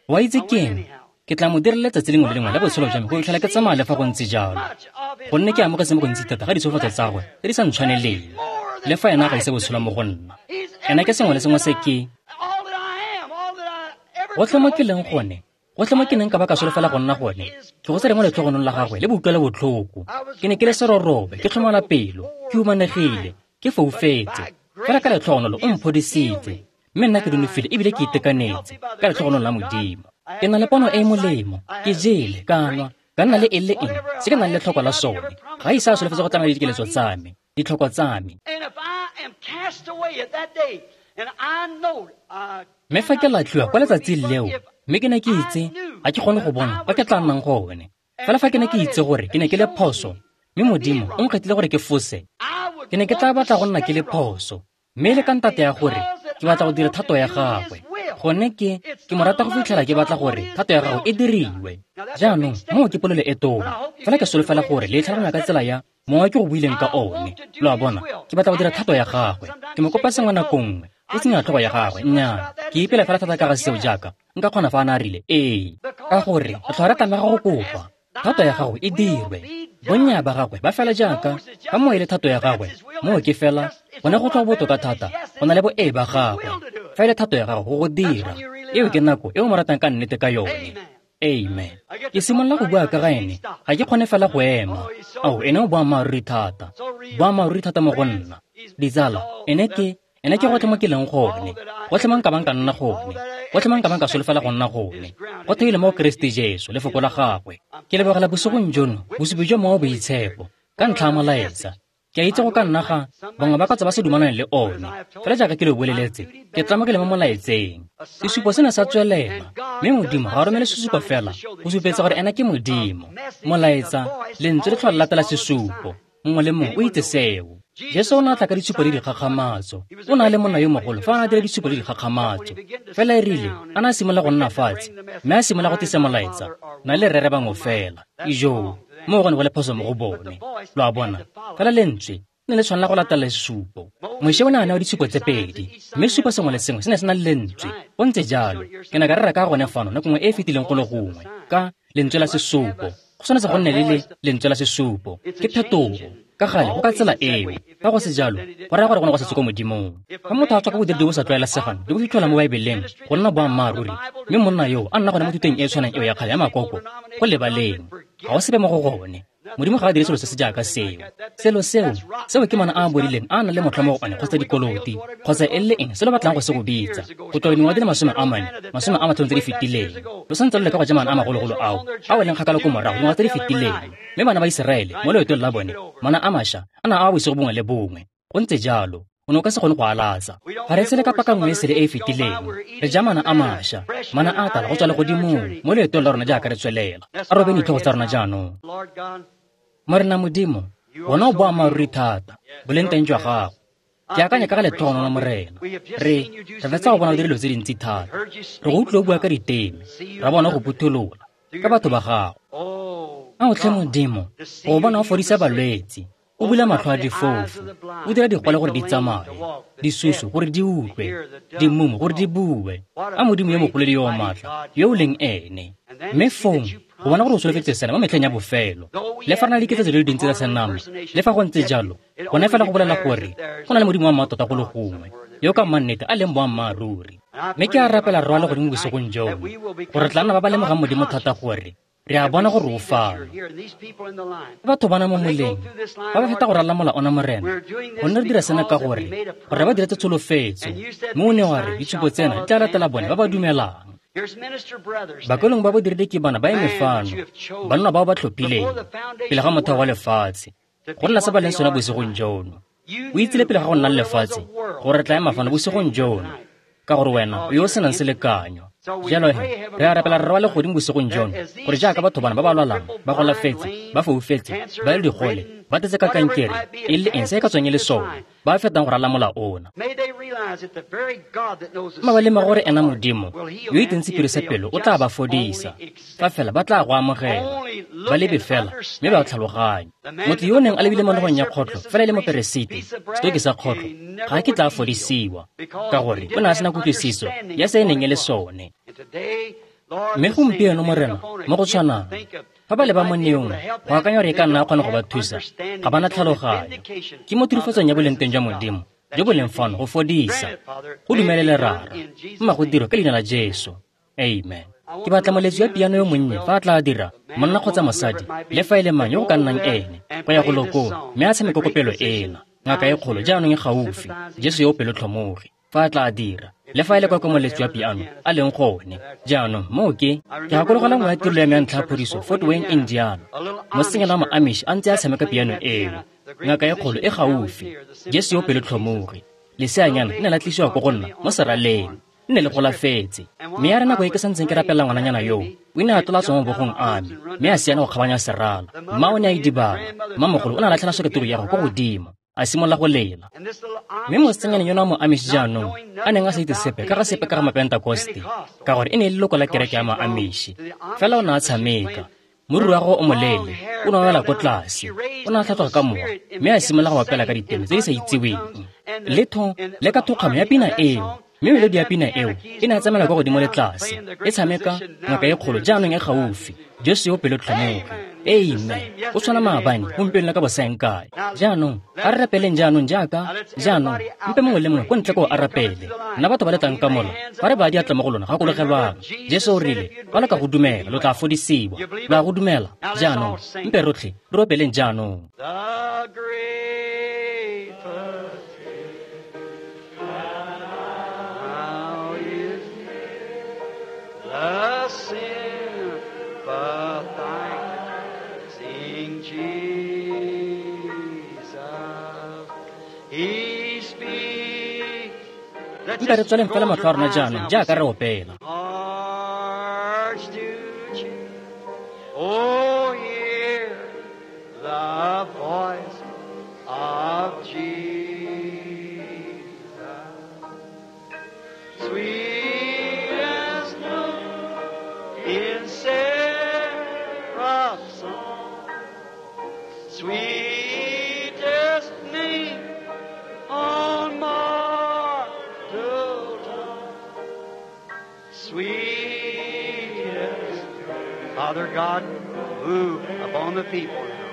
Wa itse keng? Ke tla mo direla letsatsi lengwe le lengwe la botshelo jwa me go fitlhela ke tsamaya le fa go ntse jalo, gonne ke amogetse mo gontsi thata ga ditsholofetso tsa gagwe tse di sa ntshwaneleng. Le fa ena ga ise botshelo mo go nna, ena ke sengwe le sengwe se ke gotlhe mo ke leng gone, gotlhe mo ke neng ka ba ka solofela go nna gone, ke go tsere mo letlhogonong la gagwe le boutlwelo botlhoko. Ke ne ke le serorobe, ke tlhomola pelo, ke humanegile, ke foufetse, fela ka letlhogonolo o mphodisitse, mme nna ke nonofile ebile ke itekanetse ka letlhogonolo la Modimo. Ke na le pono e e molemo, ke jele, ka nwa, ka nna le eng le eng se ke nang le tlhoko la sone. Ga ise a solofetse go tlamela dikeletso tsa me, ditlhoko tsa me. Mme fa ke latlhiwa kwa letsatsing leo, mme ke ne ke itse ga ke kgone go bona kwa ke tla nnang gone. Fela fa ke ne ke itse gore ke ne ke le phoso, mme Modimo o nkgethile gore ke fose, ke ne ke tla batla go nna ke le phoso. Mme le ka ntate ya gore ke batla go dira thato ya gagwe. Gone ke mo rata go fitlhela ke batla gore thato ya gagwe e diriwe. Jaanong moo ke polelo e tona, fela ke solofela gore le tlhaloganya ka tsela ya mongwe ke go buileng ka one. Lo a bona, ke batla go dira thato ya gagwe. Ke mo kopa sengwe nako nngwe, e seng ya tlhogo ya gagwe. Nnyaa, ke ipela fela thata ka ga seo jaaka nka kgona fa a ne a rile ee, ka gore re tlhola re tlamega go kopa thato ya gagwe e dirwe. Bonnya ba gagwe ba fela jaaka fa mo e le thato ya gagwe, moo ke fela gone go tlhoa botoka thata go na le bo ee ba gagwe. Fa e le thato ya gagwe go go dira, eo ke nako e o mo ratang ka nnete ka yone. Amen. Ke simolola go bua ka ga ene, ga ke kgone fela go ema. Ao, ene o boammaaruri thata, boammaaruri thata mo go nna. Ditsala, ene ke gotlhe mo ke leng gone, gotlhe mo nka bang ka nna gone, gotlhe mo nka bang ka solofela go nna gone, go theilwe mo go Keresete Jesu, lefoko la gagwe. Ke lebogela bosigong jono, bosupi jwa Mowa o Boitshepo, ka ntlha ya molaetsa. Ke a itse go ka nna ga bangwe ba ka tswa ba se dumalane le one, fela jaaka ke lo boleletse, ke tlamegile mo molaetseng. Sesupo se ne sa tswelela, mme Modimo ga a romele sesupo fela go supetsa gore ena ke Modimo. Molaetsa, lentswe le tlhola latela sesupo, mongwe le mongwe o itse seo. Jesu o ne a tla ka ditshupo le dikgakgamatso. O ne a le monna yo mogolo fa a ne a dira ditshupo le dikgakgamatso. Fela e rile a ne a simolola go nna fatshe, mme a simolola go tlisa molaetsa, na le rere bangwe fela. Ijoo, moo go ne go le phoso mo go bone. Lo a bona, fela lentswe Ne le tshwanela go latela sesupo. Moše o ne a newa ditshupo tse pedi, mme sesupo sengwe le sengwe se ne se na le lentswe. Go ntse jalo, ke ne ka rera ka gone fano nako nngwe e e fetileng go le gongwe, ka lentswe la sesupo. Go tshwanetse go nne le lentswe la sesupo. Ke phetogo. Ka gale go ka tsela eo. Fa go se jalo, go raya gore go ne go setse ko Modimong. Fa motho a tswa ka bodiredi bo sa tlwaelesegang le bo fitlhelwa mo Baebeleng go nna boammaaruri, mme monna yoo a nna gone mo thutong e e tshwanang eo ya kgale ya makoko, go lebaleng. Ga go sepe mo go gone. Modimo ga a dire selo se se jaaka seo. Selo seo, seo ke mana a a bodileng a nang le motlha mo go one kgotsa dikoloti, kgotsa e le eng se lo batlang go se go bitsa. Go tloga dingwaga di le 40, 50 tse di fetileng. Lo santse lo leka go ja mana a magologolo ao, a weleng kgakala ko morago dingwaga tse di fetileng. Mme bana ba Iseraele, mo loetong la bone, mana a mašwa a na a bosigo bongwe le bongwe. Go ntse jalo. O ne o ka se kgone go alatsa. Ga re tshele ka paka nngwe e sele e e fetileng. Re ja mana a mašwa, mana a tala go tswa legodimong mo loetong la rona jaaka re tswelela. A robe ditlhogo tsa rona jaanong. Morena Modimo, wena o boammaaruri thata, boleng teng jwa gago. Ke akanya ka ga letlhogonolo Morena. Re fetsa go bona o dira dilo tse dintsi thata. Re go utlwe o bua ka diteme, ra bona go phutholola ka batho ba gago. Ao tlhe Modimo, go bona o fodisa balwetse, o bula matlho a difofu, o dira digole gore di tsamaye, disusu gore di utlwe, dimumu gore di bue. A Modimo yo mogolo le yo o maatla, yo o leng ene. Mme fong, go bona gore o solofetse sena mo metlheng ya bofelo. Le fa re na le diketso di le dintsi tsa senama, le fa go ntse jalo, gone fela go bolela gore go na le Modimo wa mmatota go le gongwe, yo ka mannete a leng boammaaruri. Mme ke a rapela Rra wa legodimo bosigong jono, gore tla nna ba ba lemogang Modimo thata gore re a bona gore o fano. Batho bana mo moleng ba ba feta go ralla mola ona Morena, gonne re dira sena ka gore gore ba diretse tsholofetso, mme o ne wa re ditshupo tsena di tla latela bone ba ba dumelang. Bakwelong ba bodiredi ke bana ba eme fano, banna bao ba tlhophileng pele ga motheo wa lefatshe, go nna se ba leng sona bosigong jono. O itsile pele ga go nna le lefatshe gore re tla ema fano bosigong jono, ka gore wena o yo o senang selekanyo. Jalo he, re a rapela Rra wa legodimo bosigong jono, gore jaaka batho bana ba ba lwalang, ba golafetse, ba foufetse, ba le digole, ba tletse ka kankere, e le eng se e ka tswang e le sone, ba fetang go rala mola ona. Mma ba lemoge gore ena Modimo, yo itseng sephiri sa pelo, o tla ba fodisa. Fa fela ba tla go amogela, ba lebe fela, mme ba tlhaloganye. Motho yo o neng a lebile mo nogong ya kgotlho, fela e le moperesiti, setoki sa kgotlho, ga a kitla a fodisiwa, ka gore o ne a sena kutlwisiso ya se e neng e le sone. Mme gompieno Morena, mo go tshwanang, fa ba leba mo neong, go akanya gore e ka nna a kgone go ba thusa, ga ba na tlhaloganyo. Ke mo tirifatsong ya boleng teng jwa Modimo, jo bo leng fano go fodisa. Go dumelele Rara, mma go dirwe ka leina la Jesu. Amen. Ke batla moletsi wa piano yo monnye fa a tla dira, monna kgotsa mosadi, le fa e le mang yo go ka nnang ene, go ya go lokong, mme a tshameke kopelo ena. Ngaka e kgolo jaanong e gaufi, Jesu yo o pelotlhomogi, fa a tla dira, le fa e le kwa ko moletsi wa piano a leng gone. Jaanong moo ke gakologelwa nngwe ya tirelo ya me ya ntlha ya phodiso, Fort Wayne, Indiana. Mosetsanyana wa Moamish a ntse a tshameka piano eo. Ngaka e kgolo e gaufi, Jesu yo o pelotlhomogi. Leseanyana le ne la tlisiwa ko go nna mo seraleng, nne le golafetse. Mme ya re nako e ke santseng ke rapela ngwananyana yoo, o ne a tlola tswa mo bogong a me, mme a siana go kgabanya serala. Mma o ne a idibala, mmamogolo o ne a latlhela soketoro ya gagwe ko godimo, a simolola go lela. Mme mosetsanyana yono wa Moamish jaanong, a neng a sa itse sepe ka ga sepe ka ga Mapentekoste, ka gore e ne e le leloko la kereke ya Moamish. Fela o ne a tshameka. Moriri wa gagwe o moleele o ne a wela ko tlase, o ne a tlhatloga ka mowa, mme a simolola go opela ka diteme tse di sa itseweng. Le ka thokgamo ya pina eo, mme melodi ya pina eo e ne a tsamaela kwa godimo le tlase, e tshameka ngaka e kgolo jaanong e gaufi, Jesu yo pelotlhomogi. Amen. O tshwana maabane, gompieno le ka bosaengkae. Jaanong, a re rapeleng jaanong jaaka, jaanong, mpe mongwe le mongwe ko ntle ko a rapele. Nna batho ba le tlang ka mola, fa re ba diatla mo go lona, gakologelwang. Jesu o rile, fa lo ka go dumela, lo tla fodisiwa. Lo a go dumela? Jaanong, mpe rotlhe re opeleng jaanong. The sympathizing Jesus, He speaks. Nka re tswaleng fela matlho a rona jaanong jaaka re opela. Hearts to cheer. Oh, hear the voice of Jesus. Sweet as snow in seraph's song, sweetest name. Sweetest Father God, move upon the people now.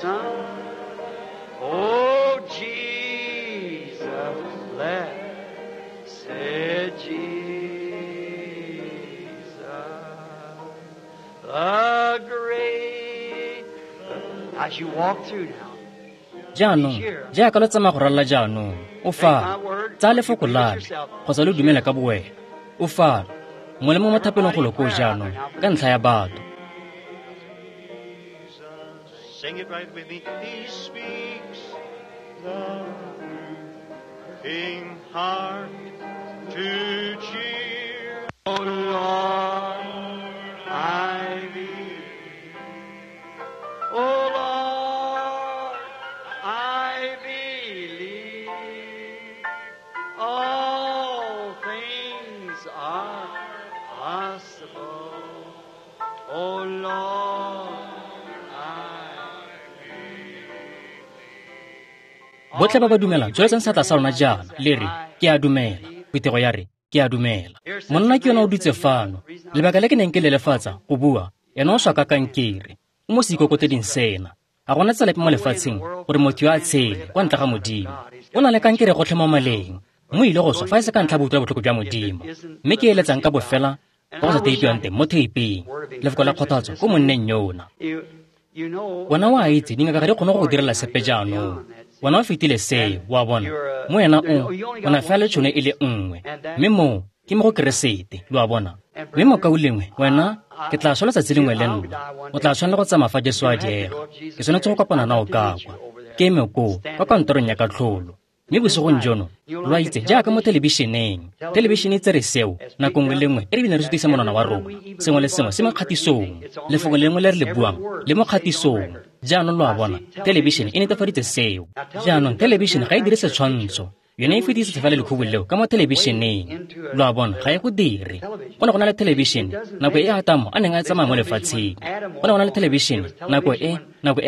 Son, oh Jesus, blessed Jesus, the great. As you walk through now, Jaanong, jaaka lo tsamaya go ralala jaanong, o fano, tsaya lefoko la me, kgotsa lo dumele ka bowena. O fano, mongwe le mongwe mo thapelong golo koo jaanong, ka ntlha ya batho. Sing it right with me. He speaks the moving heart to cheer. Oh Lord, I believe. Oh Lord, I believe. All things are possible. Oh Lord, I believe. Botlhe ba ba dumelang, tsweletsang seatla sa lona jaana, le re, ke a dumela. Phuthego ya re, ke a dumela. Monna ke yona o dutse fano. Lebaka le ke neng ke lelefatsa go bua, ena o swa ka kankere. O mo seikokoteding sena. Ga gona tsela epe mo lefatsheng gore motho yo a tshele kwa ntle ga Modimo. O na le kankere gotlhe mo maleng. Mo ile go swa fa e se ka ntlha ya botlhoko jwa Modimo. Mme ke eletsang ka bofela ka go sa teipiwang teng mo theipeng. Lefoko la kgothatso ko monneng yona. You know, Wena o a itse dingaka ga di kgone go go direla sepe jaanong. Wena o fetile seo, wa bona. Mo wena o na fela le tšhono e le nngwe. Mme moo ke mo go Keresete, lo a bona. Mme mokaulengwe, wena ke tla swa letsatsi lengwe le nna. O tla tshwanela go tsamaya fa Jesu a diega. Ke tshwanetse go kopana nao ka kwa. Ke eme koo kwa kantorong ya katlholo. Mme bosigong jono, lo a itse jaaka mo thelebišeneng. Thelebišene e tsere seo nako nngwe le nngwe e re bile re sutisa monwana wa rona. Sengwe le sengwe se mo kgatisong. Lefoko le lengwe le re le buang le mo kgatisong. Jaanong lo a bona, thelebišene e netefaditse seo. Jaanong thelebišene ga e dire setshwantsho. Yone e fetisetsa fela lekhubu leo ka mo thelebišeneng. Lo a bona, ga e go dire. Go ne go na le thelebišene nako e Atamo a neng a tsamaya mo lefatsheng. Go ne go na le thelebišene nako e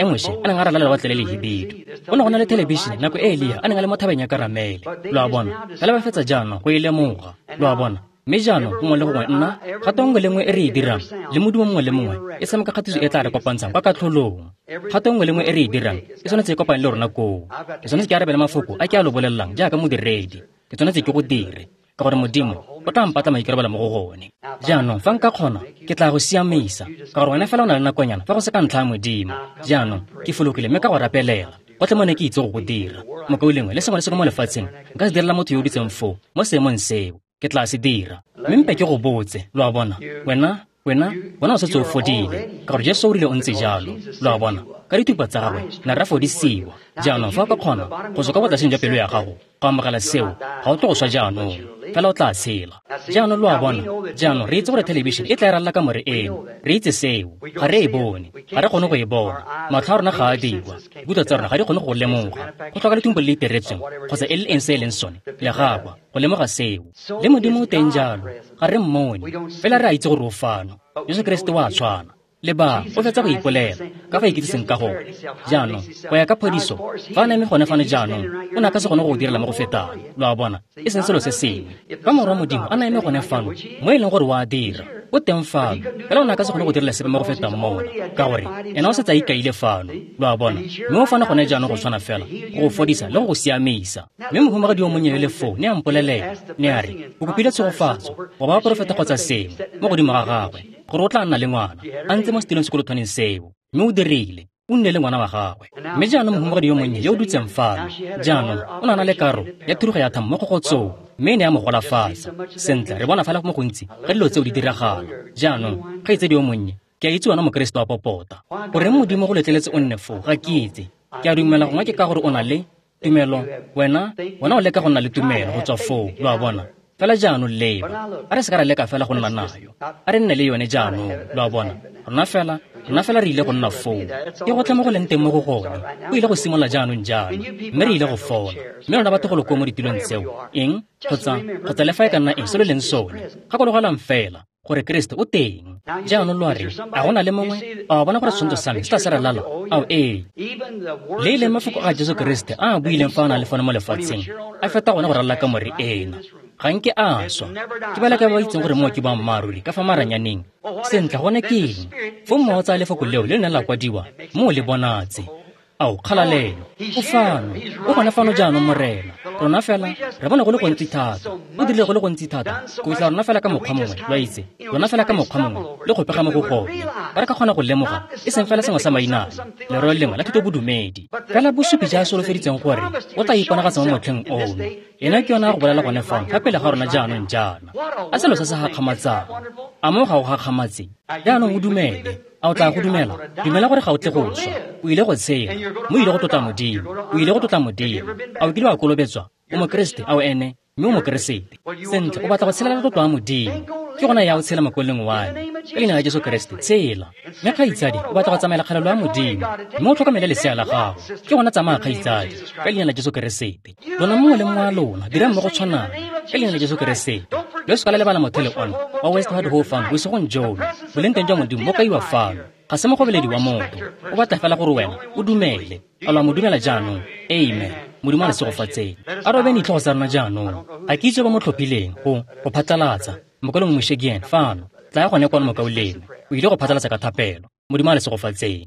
Moshe a neng a ralala lewatle le lehibidu. Go ne go na le thelebišene nako e Elia a neng a le mo thabeng ya Karamele. Lo a bona, fela ba fetsa jaanong go e lemoga. Lo a bona. Mme jaanong gongwe le gongwe nna kgato nngwe le nngwe e re e dirang le modumo mongwe le mongwe e tshameka kgatiso e tla re kopantshang kwa katlholong. Kgato nngwe le nngwe e re e dirang e tshwanetse e kopane le rona koo. Ke tshwanetse ke arabele mafoko a ke a lo bolelelang jaaka modiredi. Ke tshwanetse ke go dire ka gore Modimo o tla mpatla maikarabelo mo go gone. Jaanong fa nka kgona ke tla go siamisa ka gore wena fela o na le nakonyana fa go se ka ntlha ya Modimo. Jaanong ke fologile mme ka go rapelela. Gotlhe mo ne ke itse go go dira. Mokaulengwe le sengwe le sengwe mo lefatsheng nka se direla motho yo o dutseng foo mo seemong seo. Ke tla se dira. Mme mpe ke go botse, lo a bona. Wena o setse o fodile ka gore Jesu o rile o ntse jalo, lo a bona. Ka dithupa tsa gagwe ne ra fodisiwa. Jaanong fa o ka kgona go tswa ka botlaseng jwa pelo ya gago go amogela seo, ga o tle go swa jaanong, fela o tla tshela. Jaanong lo a bona. Jaanong re itse gore thelebišene e tla e ralala kamore eno. Re itse seo, ga re e bone, ga re kgone go e bona. Matlho a rona ga a dirwa, dikutlo tsa rona ga di kgone go lemoga. Go tlhoka lethumpo le le iteretsweng kgotsa e le eng se e leng sone, legakwa go lemoga seo. Le Modimo o teng jalo, ga re mmone, fela re a itse gore o fano. Jesu Keresete wa tshwana. Leba, o fetsa go ipolela ka fa ikitsiseng ka gone. Jaanong, go ya ka phodiso, fa a na eme gone fano jaanong, o ne a ka se kgone go direla mo go fetang. Lo a bona, e seng selo se sengwe. Fa Morwa Modimo a na eme gone fano, mo e leng gore o a dira, o teng fano, fela o ne a ka se kgone go direla sepe mo go fetang mona, ka gore ena o setse a ikaile fano. Lo a bona, mme o fano gone jaanong go tshwana fela, go go fodisa le go go siamisa. Mme mohumagadi yo monnye yo le foo ne a mpolelela, ne a re, o kopile tshegofatso, go ba porofeta kgotsa sengwe mo godimo ga gagwe, gore o tla nna le ngwana, a ntse mo setilong sekolothwaneng seo. Mme o dirile, o nne le ngwana wa gagwe. Mme jaanong mohumagadi yo monnye yo o dutseng fano, jaanong o na le karo ya thurugo ya thamo mo kgogotsong, mme e ne ya mo golafatsa. Sentle, re bona fela mo gontsi ga dilo tseo di diragala. Jaanong, kgaitsedi yo monnye, ke a itse wena Mokeresete wa popota. Goreng Modimo go letleletse o nne foo, ga ke itse. Ke a dumela gongwe ke ka gore o na le tumelo, wena o leka go nna le tumelo go tswa foo, lo a bona. Fela jaanong leba, a re se ka ra leka fela go nna nayo, a re nne le yone jaanong, lo a bona. Rona fela re ile go nna foo. Ke gotlhe mo go leng teng mo go gone. O ile go simolola jaanong jaana, mme re ile go fola. Mme lona batho go lo koo mo ditilong tseo, eng kgotsa le fa e ka nna eng se lo leng sone, gakologelang fela gore Keresete o teng. Jaanong lo a re, a go na le mongwe? A wa bona gore setshwantsho sa me se tla se re lala? Ao ee. Le e leng mafoko a Jesu Keresete a a buileng fa a na le fano mo lefatsheng, a feta gone go ralala kamore ena. Ga nke a swa. Ke ba le ka ba itseng gore moo ke boammaaruri ka fa maranyaneng. Sentle, gone ke eng? Fong Mowa o tsaya lefoko leo le le neng la kwadiwa mme o le bonatse. Ao, kgalalelo! O fano. O gone fano jaanong, Morena. Rona fela re bone go le gontsi thata. O dirile go le gontsi thata go fitlha rona fela ka mokgwa mongwe, lo a itse, rona fela ka mokgwa mongwe le go pega mo go gone. Ba re ka kgona go lemoga, e seng fela sengwe sa mainane, lerole lengwe la thutobodumedi, fela bosupi ja a solofeditseng gore o tla iponagatsa mo motlheng ono. Ena ke yona a go bolela gone fano fa pele ga rona jaanong jaana. A selo se se gakgamatsang! A moo ga go gakgamatse? Jaanong o dumele. A o tla go dumela? Dumela gore ga o tle go swa. O ile go tshela. Mme o ile go tlotla Modimo. O ile go tlotla Modimo. A o kile wa kolobetswa? O Mokeresete, a o ene? Mme o Mokeresete. Sentle, o batla go tshelela tlotlo ya Modimo. Ke gona ya o tshela mokweleng wa me. Ka leina la Jesu Keresete, tshela. Mme kgaitsadi, o batla go tsamaela kgalelo ya Modimo. Mme o tlhokomele lesea la gago. Ke gona tsamaya kgaitsadi, ka leina la Jesu Keresete. Lona mongwe le mongwe wa lona, dirang mo go tshwanang, ka leina la Jesu Keresete. Lo se ka la lebala mothele ona wa Westward Ho fano bosigong jono. Boleng teng jwa Modimo bo kaiwa fano. Ga se mogobeledi wa motho. O batla fela gore wena o dumele. A lo a mo dumela jaanong? Amen. Modimo a le segofatseng. A robeng ditlhogo tsa rona jaanong. Ga ke itse ba mo tlhophileng go go phatlalatsa. Mokaulengwe Moshe ke ene fano. Tlaya gone kwano mokaulengwe. O ile go phatlalatsa ka thapelo. Modimo a le segofatseng.